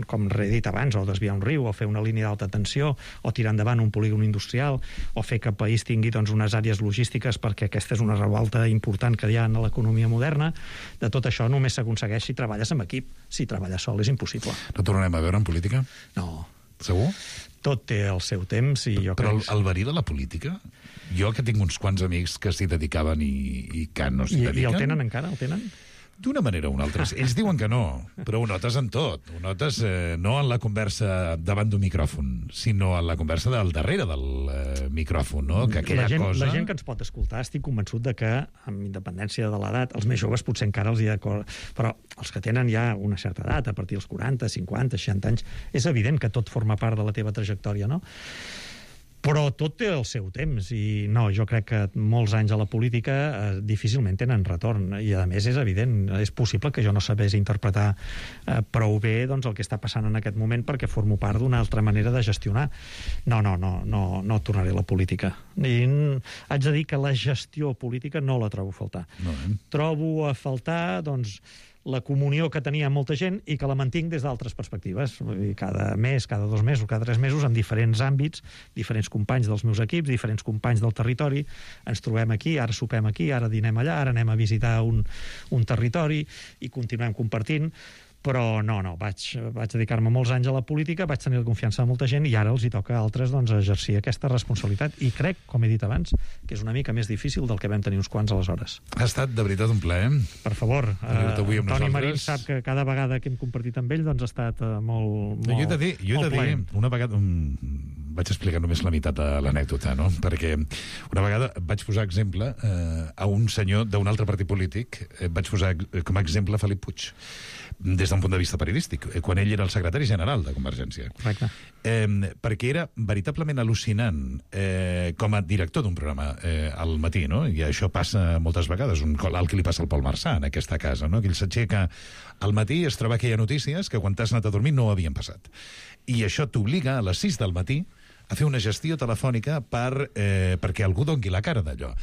com he dit abans, o desviar un riu, o fer una línia d'alta tensió, o tirar endavant un polígon industrial, o fer que el país tingui doncs, unes àrees logístiques, perquè aquesta és una revolta important que hi ha en l'economia moderna. De tot això només s'aconsegueix si treballes amb equip. Si treballes sol és impossible. No tornarem a veure en política? No. Segur? Tot té el seu temps i jo Però crec... el, el verí de la política? Jo que tinc uns quants amics que s'hi dedicaven i, i que no s'hi I, dediquen... I el tenen encara? El tenen? D'una manera o una altra. Ells diuen que no, però ho notes en tot. Ho notes eh, no en la conversa davant d'un micròfon, sinó en la conversa del darrere del eh, micròfon, no? Que aquella la gent, cosa... La gent que ens pot escoltar, estic convençut de que, amb independència de l'edat, els més joves potser encara els hi d'acord, però els que tenen ja una certa edat, a partir dels quaranta, cinquanta, seixanta anys, és evident que tot forma part de la teva trajectòria, no? Però tot té el seu temps i no, jo crec que molts anys a la política eh, difícilment tenen retorn i a més és evident, és possible que jo no sabés interpretar eh, prou bé doncs, el que està passant en aquest moment perquè formo part d'una altra manera de gestionar. No, no, no, no, no tornaré a la política. I haig de dir que la gestió política no la trobo a faltar. No, eh? Trobo a faltar, doncs, la comunió que tenia molta gent i que la mantinc des d'altres perspectives. Vull dir, cada mes, cada dos mesos, cada tres mesos, en diferents àmbits, diferents companys dels meus equips, diferents companys del territori, ens trobem aquí, ara sopem aquí, ara dinem allà, ara anem a visitar un, un territori i continuem compartint. Però no, no, vaig, vaig dedicar-me molts anys a la política, vaig tenir la confiança de molta gent i ara els hi toca a altres doncs, exercir aquesta responsabilitat. I crec, com he dit abans, que és una mica més difícil del que vam tenir uns quants aleshores. Ha estat de veritat un plaer. Per favor, uh, Toni Marín sap que cada vegada que hem compartit amb ell doncs, ha estat uh, molt, molt, jo he de dir, jo he de dir una vegada... Um, vaig explicar només la meitat de l'anècdota, no? Perquè una vegada vaig posar exemple eh, a un senyor d'un altre partit polític, eh, vaig posar com a exemple Felip Puig, des d'un punt de vista periodístic, eh, quan ell era el secretari general de Convergència. Correcte. Eh, perquè era veritablement al·lucinant eh, com a director d'un programa eh, al matí, no? I això passa moltes vegades, un, el que li passa al Pol Marçà en aquesta casa, no? Que ell s'aixeca al matí i es troba que hi ha notícies que quan t'has anat a dormir no havien passat. I això t'obliga a les sis del matí a fer una gestió telefònica per, eh, perquè algú doni la cara d'allò.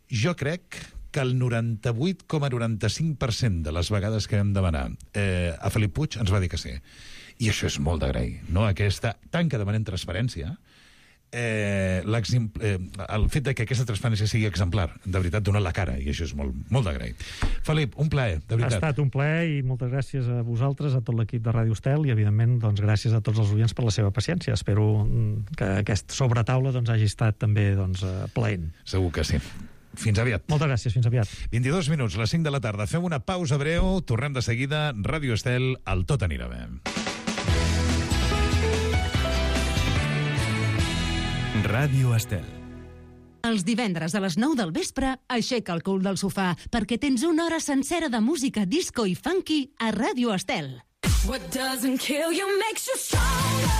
Jo crec que el noranta-vuit coma noranta-cinc per cent de les vegades que vam demanar eh, a Felip Puig ens va dir que sí. I això és molt d'agrair, no? Aquesta, tant que demanem transparència, eh, eh, el fet de que aquesta transparència sigui exemplar, de veritat, dona la cara, i això és molt, molt d'agrair. Felip, un plaer, de veritat. Ha estat un plaer i moltes gràcies a vosaltres, a tot l'equip de Ràdio Estel i, evidentment, doncs, gràcies a tots els oients per la seva paciència. Espero que aquest sobretaula doncs, hagi estat també doncs, plaent. Segur que sí. Fins aviat. Moltes gràcies, fins aviat. vint-i-dos minuts, les cinc de la tarda. Fem una pausa breu, tornem de seguida. Ràdio Estel, el tot anirà bé. Ràdio Estel. Els divendres a les nou del vespre, aixeca el cul del sofà perquè tens una hora sencera de música disco i funky a Ràdio Estel. What doesn't kill you makes you stronger.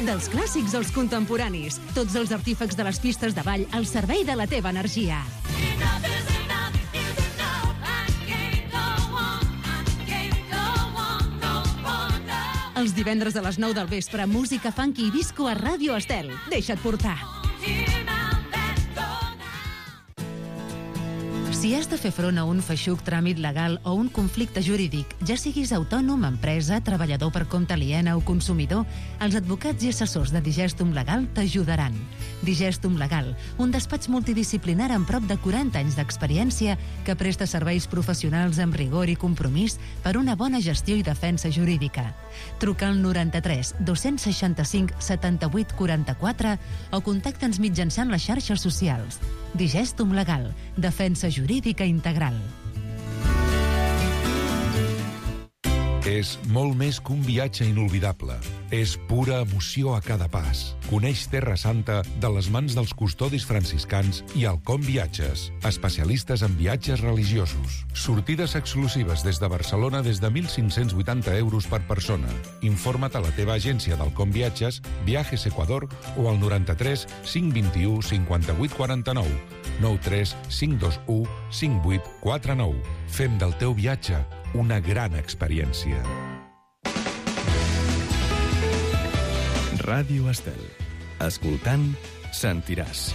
Dels clàssics als contemporanis, tots els artífecs de les pistes de ball al servei de la teva energia. Els divendres a les nou del vespre, música funky i disco a Ràdio Estel. Deixa't portar. Si has de fer front a un feixuc tràmit legal o un conflicte jurídic, ja siguis autònom, empresa, treballador per compte aliena o consumidor, els advocats i assessors de Digestum Legal t'ajudaran. Digestum Legal, un despatx multidisciplinar amb prop de quaranta anys d'experiència que presta serveis professionals amb rigor i compromís per una bona gestió i defensa jurídica. Truca al noranta-tres dos-cents seixanta-cinc setanta-vuit quaranta-quatre o contacta'ns mitjançant les xarxes socials. Digestum Legal, defensa jurídica integral. És molt més que un viatge inolvidable. És pura emoció a cada pas. Coneix Terra Santa de les mans dels custodis franciscans i Alcom Viatges, especialistes en viatges religiosos. Sortides exclusives des de Barcelona des de mil cinc-cents vuitanta euros per persona. Informa't a la teva agència d'Alcom Viatges, Viajes Ecuador o al noranta-tres cinc vint-i-u cinquanta-vuit quaranta-nou. nou tres cinc dos u cinc vuit quatre nou. Fem del teu viatge una gran experiència. Ràdio Estel. Escoltant, sentiràs.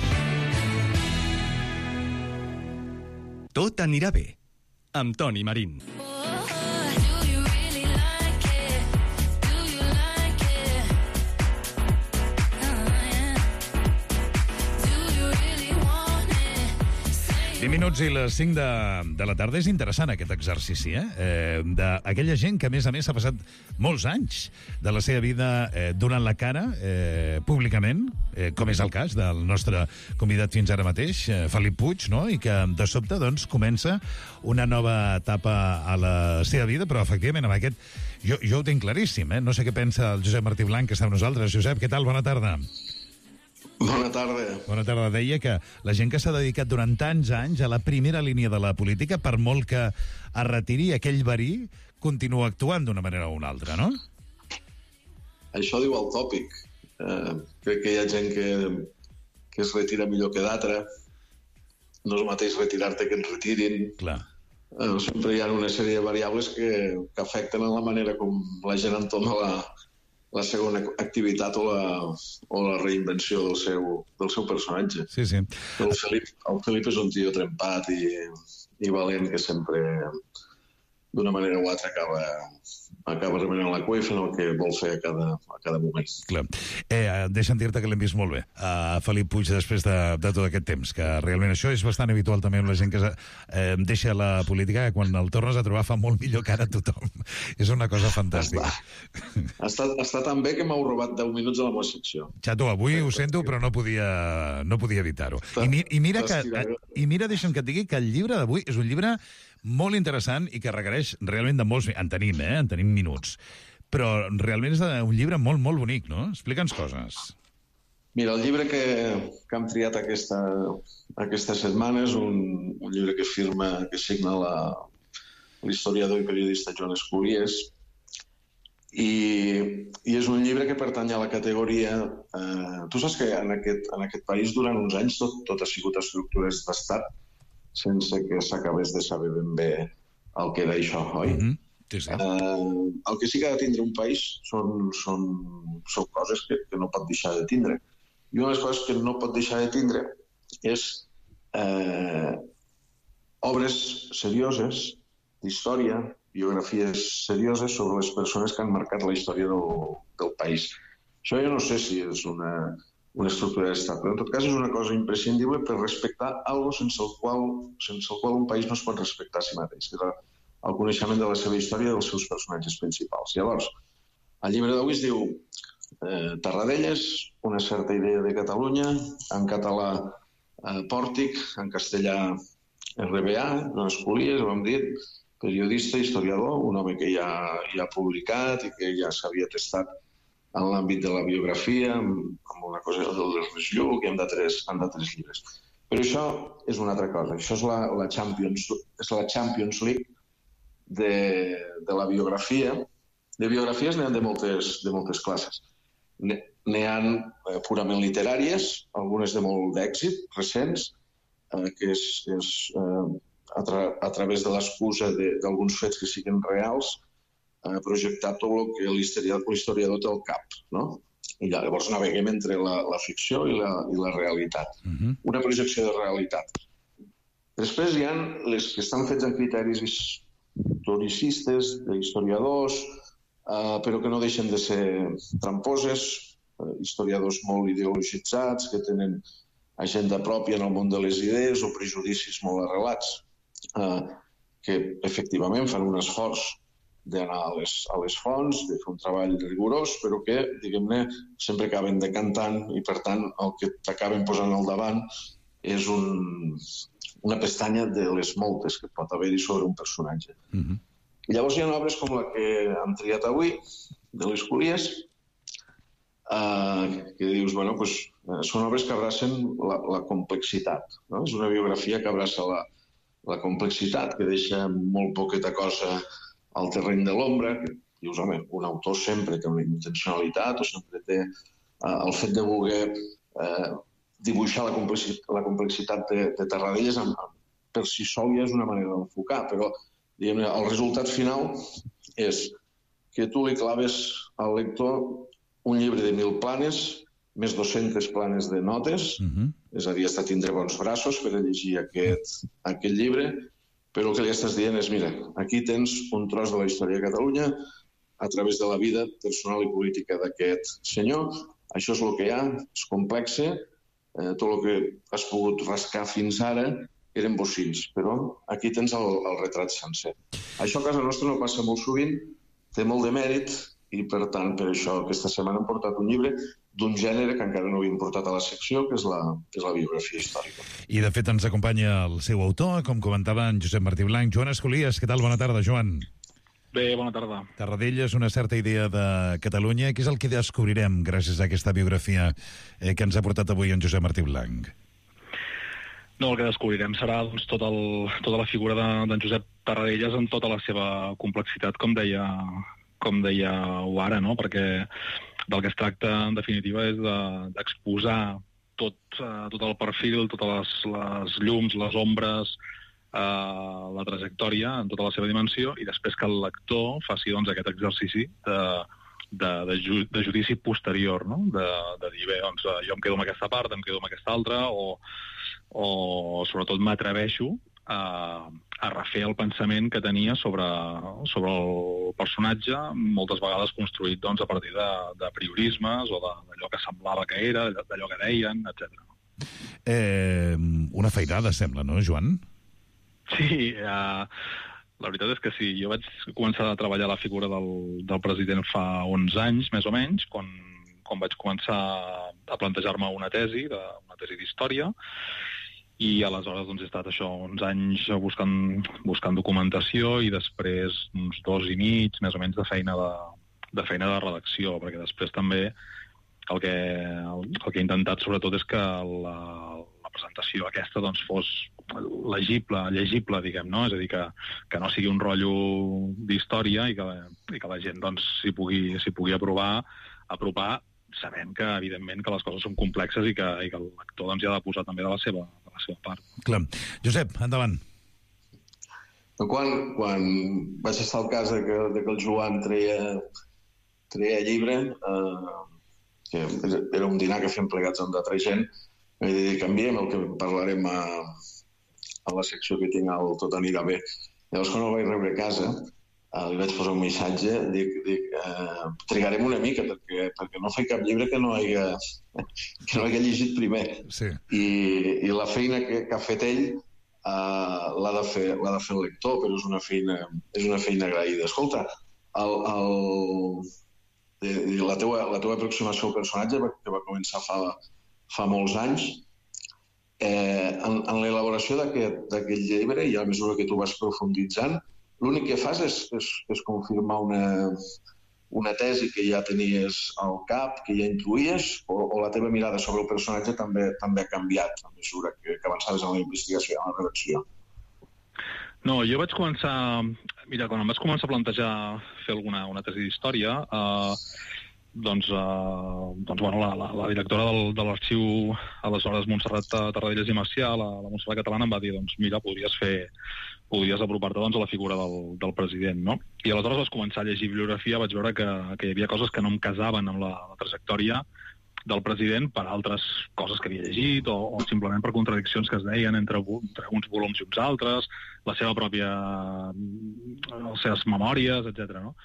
Tot anirà bé. Amb Toni Marín. vint minuts i les cinc de, de la tarda. És interessant aquest exercici, eh? eh D'aquella gent que, a més a més, ha passat molts anys de la seva vida eh, donant la cara eh, públicament, eh, com és el cas del nostre convidat fins ara mateix, eh, Felip Puig, no? I que, de sobte, doncs, comença una nova etapa a la seva vida, però, efectivament, amb aquest... Jo, jo ho tinc claríssim, eh? No sé què pensa el Josep Martí Blanc, que està amb nosaltres. Josep, què tal? Bona tarda. Bona tarda. Bona tarda. Deia que la gent que s'ha dedicat durant tants anys a la primera línia de la política, per molt que es retiri aquell verí, continua actuant d'una manera o una altra, no? Això diu el tòpic. Eh, crec que hi ha gent que, que es retira millor que d'altra. No és el mateix retirar-te que ens retirin. Clar. Eh, sempre hi ha una sèrie de variables que, que afecten en la manera com la gent entoma la, la segona activitat o la, o la reinvenció del seu, del seu personatge. Sí, sí. El Felip, el Felip és un tio trempat i, i valent que sempre, d'una manera o altra, acaba, acaba remenant la cua i fent el que vol fer a cada, a cada moment. Clar. Eh, deixa'm dir-te que l'hem vist molt bé, a Felip Puig, després de, de tot aquest temps, que realment això és bastant habitual també amb la gent que eh, deixa la política, que quan el tornes a trobar fa molt millor que ara tothom. És una cosa fantàstica. Està, està, està tan bé que m'heu robat deu minuts a la meva secció. Xato, avui ho sento, però no podia, no podia evitar-ho. I, mi, i, mira que, i mira, deixa'm que et digui que el llibre d'avui és un llibre molt interessant i que requereix realment de molts... En tenim, eh? En tenim minuts. Però realment és un llibre molt, molt bonic, no? Explica'ns coses. Mira, el llibre que, que hem triat aquesta, aquesta setmana és un, un llibre que firma, que signa la, l'historiador i periodista Joan Esculies, i, i és un llibre que pertany a la categoria... Eh, tu saps que en aquest, en aquest país durant uns anys tot, tot ha sigut estructures d'estat, sense que s'acabés de saber ben bé el que era això, oi? Mm-hmm. Sí, sí. Uh, el que sí que ha de tindre un país són, són, són coses que, que no pot deixar de tindre. I una de les coses que no pot deixar de tindre és eh, obres serioses, d'història, biografies serioses sobre les persones que han marcat la història del, del país. Això jo no sé si és una... una estructura d'estat, però en tot cas és una cosa imprescindible per respectar alguna cosa sense el qual, sense el qual un país no es pot respectar a si mateix, que és el coneixement de la seva història i dels seus personatges principals. Llavors, el llibre d'avui es diu eh, Tarradellas, una certa idea de Catalunya, en català eh, Pòrtic, en castellà R B A, Joan Esculies, ho hem dit, periodista, historiador, un home que ja, ja ha publicat i que ja s'havia testat en l'àmbit de la biografia, amb una cosa del Ernest Lluch i amb d'altres llibres. Però això és una altra cosa. Això és la, la, Champions, és la Champions League de, de la biografia. De biografies n'hi ha de moltes, de moltes classes. N'hi ha eh, purament literàries, algunes de molt d'èxit, recents, eh, que és, és eh, a, tra a través de l'excusa d'alguns fets que siguin reals, eh, projectar tot el que l'historiador té al cap, no? I llavors naveguem entre la, la ficció i la, i la realitat. Uh-huh. Una projecció de realitat. Després hi ha les que estan fets en criteris historicistes, d'historiadors, eh, però que no deixen de ser tramposes, eh, historiadors molt ideologitzats, que tenen agenda pròpia en el món de les idees o prejudicis molt arrelats, eh, que efectivament fan un esforç d'anar a les, a les fonts, de fer un treball rigorós, però que, diguem-ne, sempre acaben decantant i, per tant, el que t'acaben posant al davant és un, una pestanya de les moltes que pot haver-hi sobre un personatge. Uh-huh. Llavors hi ha obres com la que hem triat avui, de les Colies, Uh, que dius, bueno, pues, uh, són obres que abracen la, la complexitat, no? És una biografia que abraça la, la complexitat, que deixa molt poqueta cosa al terreny de l'ombra, que dius, home, un autor sempre té una intencionalitat o sempre té uh, el fet de voler uh, dibuixar la complexitat, la complexitat de, de Tarradellas amb, per si sol ja és una manera d'enfocar, però diguem-ne, el resultat final és que tu li claves al lector un llibre de mil planes, més dos-centes planes de notes, uh-huh. És a dir, has de tindre bons braços per a llegir aquest, aquest llibre, però el que li estàs dient és, mira, aquí tens un tros de la història de Catalunya a través de la vida personal i política d'aquest senyor. Això és el que hi ha, és complexe, eh, tot el que has pogut rascar fins ara eren bocins, però aquí tens el, el retrat sencer. Això a casa nostra no passa molt sovint, té molt de mèrit, i, per tant, per això aquesta setmana hem portat un llibre d'un gènere que encara no havíem portat a la secció, que és la, que és la biografia històrica. I, de fet, ens acompanya el seu autor, com comentava en Josep Martí Blanch. Joan Escolies, què tal? Bona tarda, Joan. Bé, bona tarda. Tarradellas, una certa idea de Catalunya. Què és el que descobrirem gràcies a aquesta biografia eh, que ens ha portat avui en Josep Martí Blanch? No, el que descobrirem serà doncs, tot el, tota la figura d'en de, Josep Tarradellas en tota la seva complexitat, com deia... com dèieu ara, no? Perquè del que es tracta, en definitiva, és d'exposar de, tot, uh, tot el perfil, totes les, les llums, les ombres, uh, la trajectòria en tota la seva dimensió, i després que el lector faci doncs, aquest exercici de, de, de, ju, de judici posterior, no? De, de dir, bé, doncs, jo em quedo amb aquesta part, em quedo amb aquesta altra, o, o sobretot m'atreveixo a, a refer el pensament que tenia sobre, sobre el personatge, moltes vegades construït doncs, a partir de, de priorismes o d'allò que semblava que era, d'allò que deien, etcètera. Eh, una feinada, sembla, no, Joan? Sí, eh, la veritat és que sí. Jo vaig començar a treballar la figura del, del president fa onze anys, més o menys, quan, quan vaig començar a plantejar-me una tesi, de, una tesi d'història, i aleshores doncs, he estat això uns anys buscant, buscant documentació i després uns dos i mig, més o menys, de feina de, de, feina de redacció, perquè després també el que, el, el que he intentat sobretot és que la, la presentació aquesta doncs, fos legible, llegible, diguem, no? És a dir, que, que no sigui un rotllo d'història i, que, i que la gent doncs, s'hi pugui, s'hi pugui aprovar, apropar, sabent que, evidentment, que les coses són complexes i que, i que el lector doncs, hi ha de posar també de la seva, de la seva part. Clar. Josep, endavant. Quan, quan vaig estar al cas de que, de que el Joan treia, treia llibre, eh, que era un dinar que fem plegats amb d'altra gent, vaig dir, canviem el que parlarem a, a la secció que tinc al Tot anirà bé. Llavors, quan el vaig rebre a casa, Uh, li vaig posar un missatge, dic, dic uh, trigarem una mica perquè, perquè no faig cap llibre que no hagi, que no hagi llegit primer. Sí. I, i la feina que, que ha fet ell uh, l'ha de fer, l'ha de fer el lector, però és una feina, és una feina agraïda. Escolta, el, el, la, teua, la teua aproximació al personatge, que va començar fa, fa molts anys, eh, en, en l'elaboració d'aquest llibre i a mesura que tu vas profunditzant, l'únic que fas és, és, és confirmar una, una tesi que ja tenies al cap, que ja intuïes, o, o la teva mirada sobre el personatge també, també ha canviat a mesura que, que avançaves en la investigació, en la redacció? No, jo vaig començar... Mira, quan em vaig començar a plantejar fer alguna una tesi d'història, eh, doncs, eh, doncs bueno, la, la, la directora del, de l'arxiu, aleshores Montserrat Tarradellas i Macià, la, la Montserrat Catalana, em va dir, doncs mira, podries fer, podries apropar-te doncs, a la figura del, del president, no? I aleshores vaig començar a llegir bibliografia, vaig veure que, que hi havia coses que no em casaven amb la, la trajectòria del president per altres coses que havia llegit o, o simplement per contradiccions que es deien entre, entre uns volums i uns altres, la seva pròpia, les seves memòries, etcètera, no?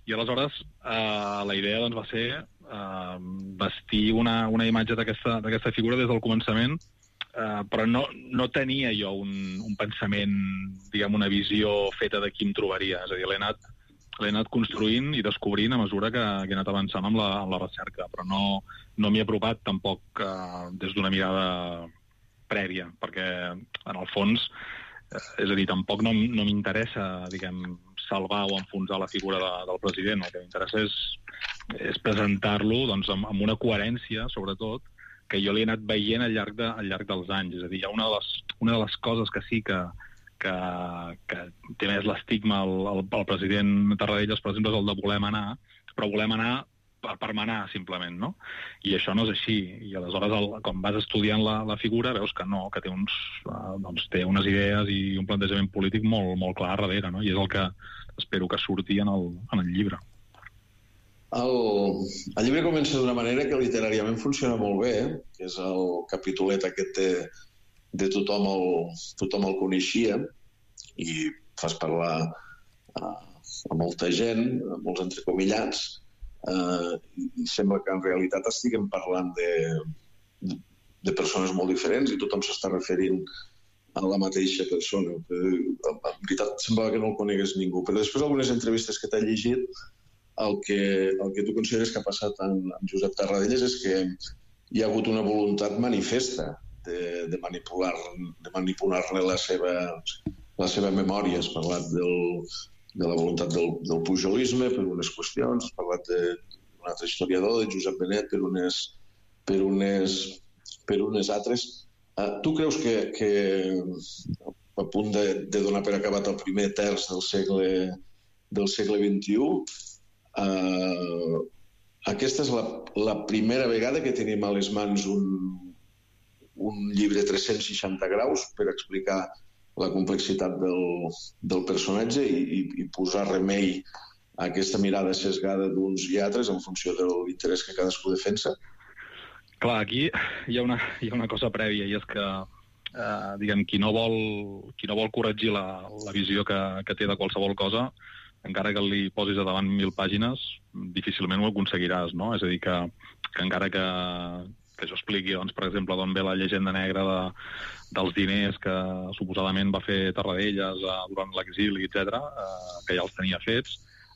I aleshores eh, la idea doncs, va ser eh, vestir una, una imatge d'aquesta figura des del començament, eh, però no, no tenia jo un, un pensament, diguem, una visió feta de qui em trobaria. És a dir, l'he anat, l'he anat construint i descobrint a mesura que, que he anat avançant amb la, amb la recerca, però no, no m'hi he apropat tampoc eh, des d'una mirada prèvia, perquè en el fons, eh, és a dir, tampoc no, no m'interessa, diguem, salvar o enfonsar la figura de, del president. El que m'interessa és, és presentar-lo doncs, amb, amb una coherència, sobretot, que jo li he anat veient al llarg, de, al llarg dels anys. És a dir, hi ha una de les, una de les coses que sí que, que, que té més l'estigma el, el, el president Tarradellas, per exemple, és el de volem anar, però volem anar per, per manar, simplement, no? I això no és així. I aleshores, el, quan vas estudiant la, la figura, veus que no, que té, uns, uh, doncs, té unes idees i un plantejament polític molt, molt clar darrere, no? I és el que espero que surti en el, en el llibre. El, el llibre comença d'una manera que literàriament funciona molt bé, eh? Que és el capitolet aquest de, de tothom, el, tothom el coneixia, i fas parlar a, a molta gent, a molts entrecomillats, Uh, i sembla que en realitat estiguem parlant de, de, de persones molt diferents i tothom s'està referint a la mateixa persona. En veritat semblava que no el conegués ningú, però després d'algunes entrevistes que t'he llegit, el que, el que tu consideres que ha passat amb, amb Josep Tarradellas és que hi ha hagut una voluntat manifesta de, de manipular, de manipular-ne la seva, la seva memòria. Has parlat del de la voluntat del, del pujolisme per unes qüestions, has parlat d'un altre historiador, de Josep Benet, per unes, per unes, per unes altres. Uh, tu creus que, que a punt de, de donar per acabat el primer terç del segle, del segle vint-i-u, uh, aquesta és la, la primera vegada que tenim a les mans un, un llibre tres-cents seixanta graus per explicar la complexitat del, del personatge i, i, i posar remei a aquesta mirada sesgada d'uns i altres en funció de l'interès que cadascú defensa? Clar, aquí hi ha una, hi ha una cosa prèvia, i és que eh, diguem, qui no vol, qui no vol corregir la, la visió que, que té de qualsevol cosa, encara que li posis a davant mil pàgines, difícilment ho aconseguiràs, no? És a dir, que, que encara que, que jo expliqui, doncs, per exemple, d'on ve la llegenda negra de, dels diners que suposadament va fer Tarradellas eh, durant l'exili, etcètera, eh, que ja els tenia fets,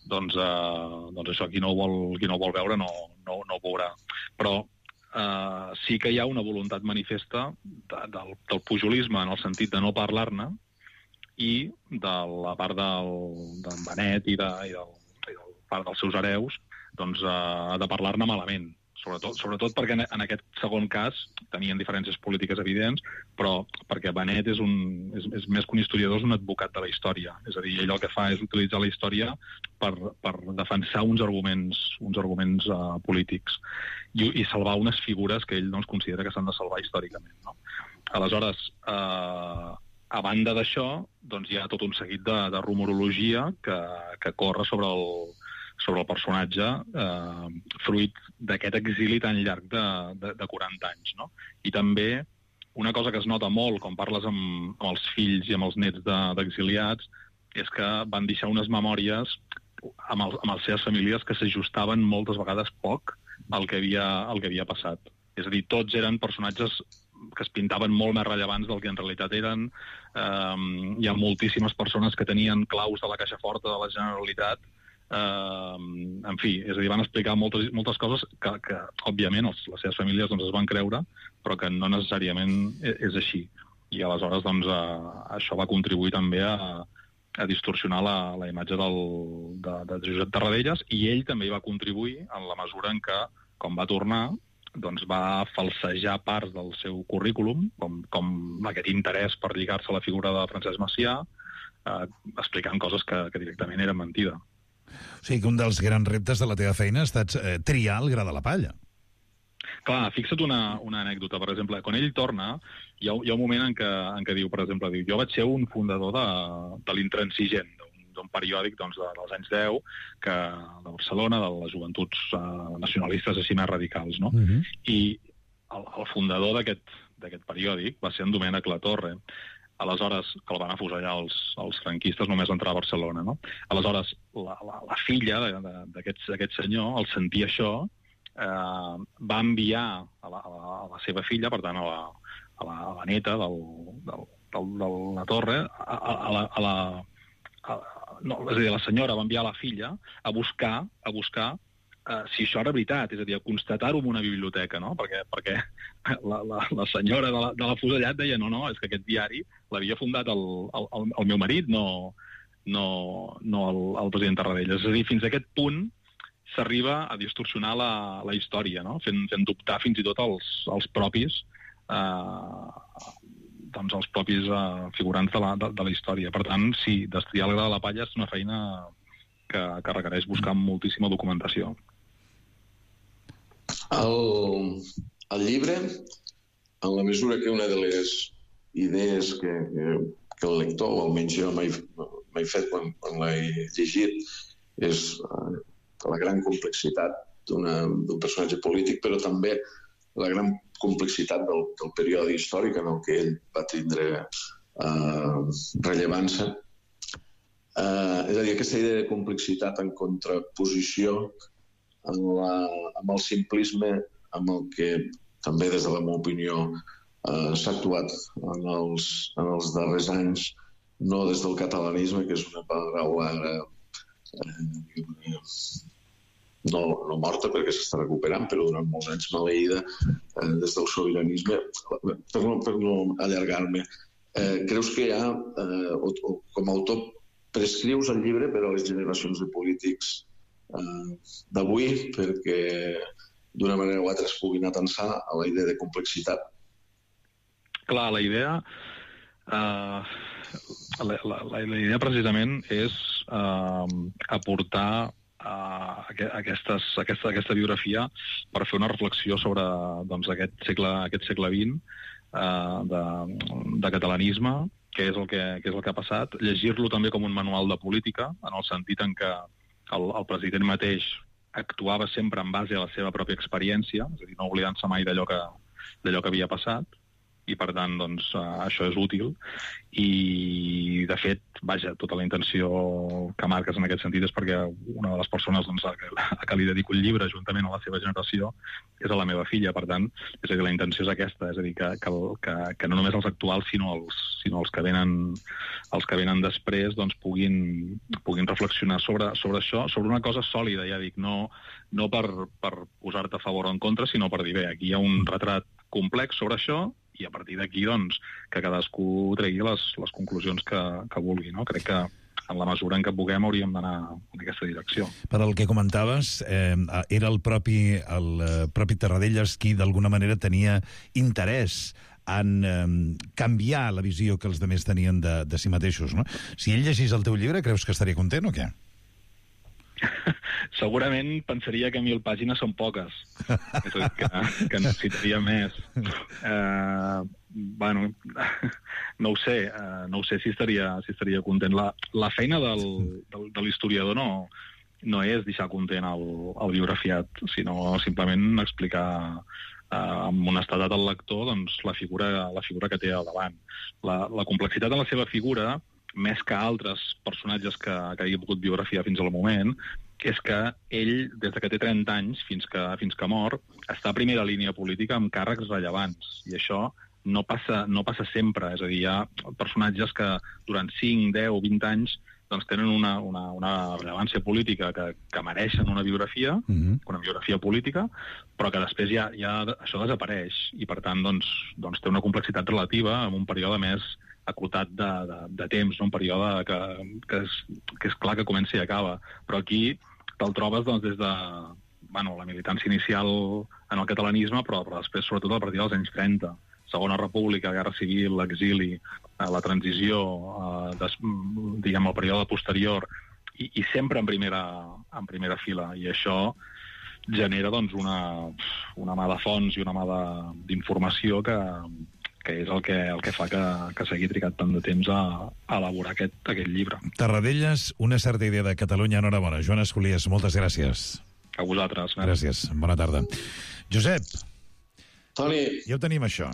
doncs, eh, doncs això qui no ho vol, qui no ho vol veure no, no, no ho veurà. Però eh, sí que hi ha una voluntat manifesta de, del, del pujolisme en el sentit de no parlar-ne i de la part del, d'en Benet i, de, i, del, i del part dels seus hereus doncs, eh, de parlar-ne malament. Sobretot, sobretot perquè en aquest segon cas tenien diferències polítiques evidents, però perquè Benet és, un, és, és més que un historiador, és un advocat de la història. És a dir, ell el que fa és utilitzar la història per, per defensar uns arguments, uns arguments uh, polítics i, i salvar unes figures que ell doncs, considera que s'han de salvar històricament. No? Aleshores, eh, a banda d'això, doncs, hi ha tot un seguit de, de rumorologia que, que corre sobre el sobre el personatge eh, fruit d'aquest exili tan llarg de, de, de quaranta anys. No? I també una cosa que es nota molt quan parles amb, amb els fills i amb els nets d'exiliats de, és que van deixar unes memòries amb, el, amb les seves famílies que s'ajustaven moltes vegades poc al que, havia, al que havia passat. És a dir, tots eren personatges que es pintaven molt més rellevants del que en realitat eren. Eh, hi ha moltíssimes persones que tenien claus de la caixa forta de la Generalitat. Uh, en fi, és a dir, van explicar moltes, moltes coses que, que òbviament, els, les seves famílies doncs, es van creure, però que no necessàriament és, és així. I aleshores, doncs, uh, això va contribuir també a, a distorsionar la, la imatge del, de, de Josep Tarradellas, i ell també hi va contribuir en la mesura en què, quan va tornar, doncs va falsejar parts del seu currículum, com, com aquest interès per lligar-se a la figura de Francesc Macià, uh, explicant coses que, que directament eren mentida. O sigui que un dels grans reptes de la teva feina ha estat eh, triar el gra de la palla. Clar, fixa't una, una anècdota. Per exemple, quan ell torna, hi ha, hi ha un moment en què, en què diu, per exemple, diu, jo vaig ser un fundador de, de l'Intransigent, d'un periòdic doncs, de, dels anys deu, que, de Barcelona, de les joventuts uh, nacionalistes així més radicals, no? Uh-huh. I el, el fundador d'aquest periòdic va ser en Domènec Latorre. Aleshores, que el van afusellar els, els franquistes només entrar a Barcelona, no? Aleshores, la, la, la filla d'aquest senyor, al sentir això, eh, va enviar a la, a, la, a la seva filla, per tant, a la, a la, a la neta del, del, del, de la Torre, a, a la... A la a, no, és a dir, la senyora va enviar la filla a buscar, a buscar uh, si això era veritat, és a dir, a constatar-ho en una biblioteca, no? Perquè, perquè la, la, la senyora de, la, de l'afusellat deia no, no, és que aquest diari l'havia fundat el, el, el, el meu marit, no, no, no el, el president Tarradellas. És a dir, fins a aquest punt s'arriba a distorsionar la, la història, no? Fent, fent dubtar fins i tot els, els propis eh, doncs els propis uh, figurants de la, de, de la història. Per tant, sí, destriar el gra de la palla és una feina que, que requereix buscar moltíssima documentació. El, el llibre, en la mesura que una de les idees que, que, que el lector, o almenys jo m'he fet quan, quan l'he llegit, és uh, la gran complexitat d'un personatge polític, però també la gran complexitat del, del període històric en el que ell va tindre eh, rellevància. Eh, és a dir, aquesta idea de complexitat en contraposició amb, la, amb el simplisme amb el que també des de la meva opinió eh, s'ha actuat en els, en els darrers anys, no des del catalanisme, que és una paraula eh, No, no morta perquè s'està recuperant, però durant molts anys maleïda eh, des del sobiranisme. Per no, per no allargar-me, eh, creus que hi ha, eh, o, o, com a autor, prescrius el llibre per a les generacions de polítics eh, d'avui perquè d'una manera o altra es puguin atensar a la idea de complexitat? Clar, la idea... Uh, la, la, la idea precisament és uh, aportar Uh, aquestes, aquesta, aquesta biografia per fer una reflexió sobre doncs, aquest, segle, aquest segle vint uh, de, de catalanisme, què és, el que, què és el que ha passat, llegir-lo també com un manual de política, en el sentit en què el, el president mateix actuava sempre en base a la seva pròpia experiència, és a dir, no oblidant-se mai d'allò que, d'allò que havia passat, i per tant, doncs, uh, això és útil. I, de fet, vaja, tota la intenció que marques en aquest sentit és perquè una de les persones doncs, a, que, a que li dedico el llibre, juntament a la seva generació, és a la meva filla. Per tant, és a dir, la intenció és aquesta, és a dir, que, que, que, que no només els actuals, sinó els, sinó els que venen, els que venen després, doncs, puguin, puguin reflexionar sobre, sobre això, sobre una cosa sòlida, ja dic, no, no per, per posar-te a favor o en contra, sinó per dir, bé, aquí hi ha un retrat complex sobre això, i a partir d'aquí, doncs, que cadascú tregui les, les conclusions que, que vulgui, no? Crec que en la mesura en què puguem hauríem d'anar en aquesta direcció. Per al que comentaves, eh, era el propi, el propi Tarradellas qui d'alguna manera tenia interès en eh, canviar la visió que els altres tenien de, de si mateixos, no? Si ell llegís el teu llibre, creus que estaria content o què? Segurament pensaria que mil pàgines són poques, és a dir, que, que necessitaria més. Eh, bueno, no ho sé, eh, no ho sé si estaria, si estaria content. La, la feina del, del, de l'historiador no, no és deixar content el, el biografiat, sinó simplement explicar eh, amb honestedat al lector doncs, la, figura, la figura que té al davant. La, la complexitat en la seva figura, més que altres personatges que, que hagi pogut biografiar fins al moment, és que ell, des que té trenta anys fins que, fins que mor, està a primera línia política amb càrrecs rellevants. I això no passa, no passa sempre. És a dir, hi ha personatges que durant cinc, deu, vint anys doncs, tenen una, una, una rellevància política que, que mereixen una biografia, mm-hmm. una biografia política, però que després ja, ja això desapareix. I, per tant, doncs, doncs té una complexitat relativa en un període més acotat de, de, de temps, no? Un període que, que, és, que és clar que comença i acaba. Però aquí te'l trobes doncs, des de bueno, la militància inicial en el catalanisme, però, però després, sobretot, a partir dels anys trenta. Segona República, Guerra Civil, l'exili, la transició, eh, des, diguem, el període posterior, i, i sempre en primera, en primera fila. I això genera doncs, una, una mà de fons i una mà d'informació que, que és el que, el que fa que, que s'hagi trigat tant de temps a, a elaborar aquest, aquest llibre. Tarradellas, una certa idea de Catalunya. Enhorabona. Joan Escolies, moltes gràcies. A vosaltres. Gràcies. Bona tarda. Josep. Toni. Ja ho tenim, això.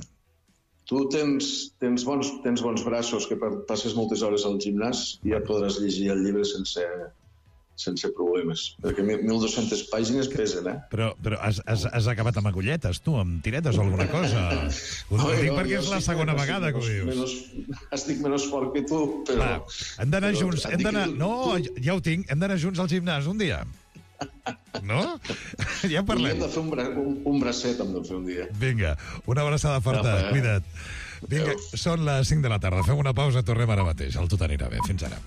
Tu tens, tens, bons, tens bons braços, que passes moltes hores al gimnàs i ja podràs llegir el llibre sense, sense problemes. Perquè mil dues-centes pàgines pesen, eh? Però, però has, has, has acabat amb agulletes, tu, amb tiretes o alguna cosa? Ho no, dic no, perquè és la segona vegada que ho dius. Menos, estic menys fort que tu, però... Va, hem d'anar junts, hem d'anar... No, ja ho tinc, hem d'anar junts al gimnàs un dia. No? Ja parlem. Hem de fer un, bra un, un bracet, hem de fer un dia. Vinga, una abraçada forta, no, cuida't. Vinga, són les cinc de la tarda, fem una pausa, tornem ara mateix. El Tot anirà bé. Fins ara.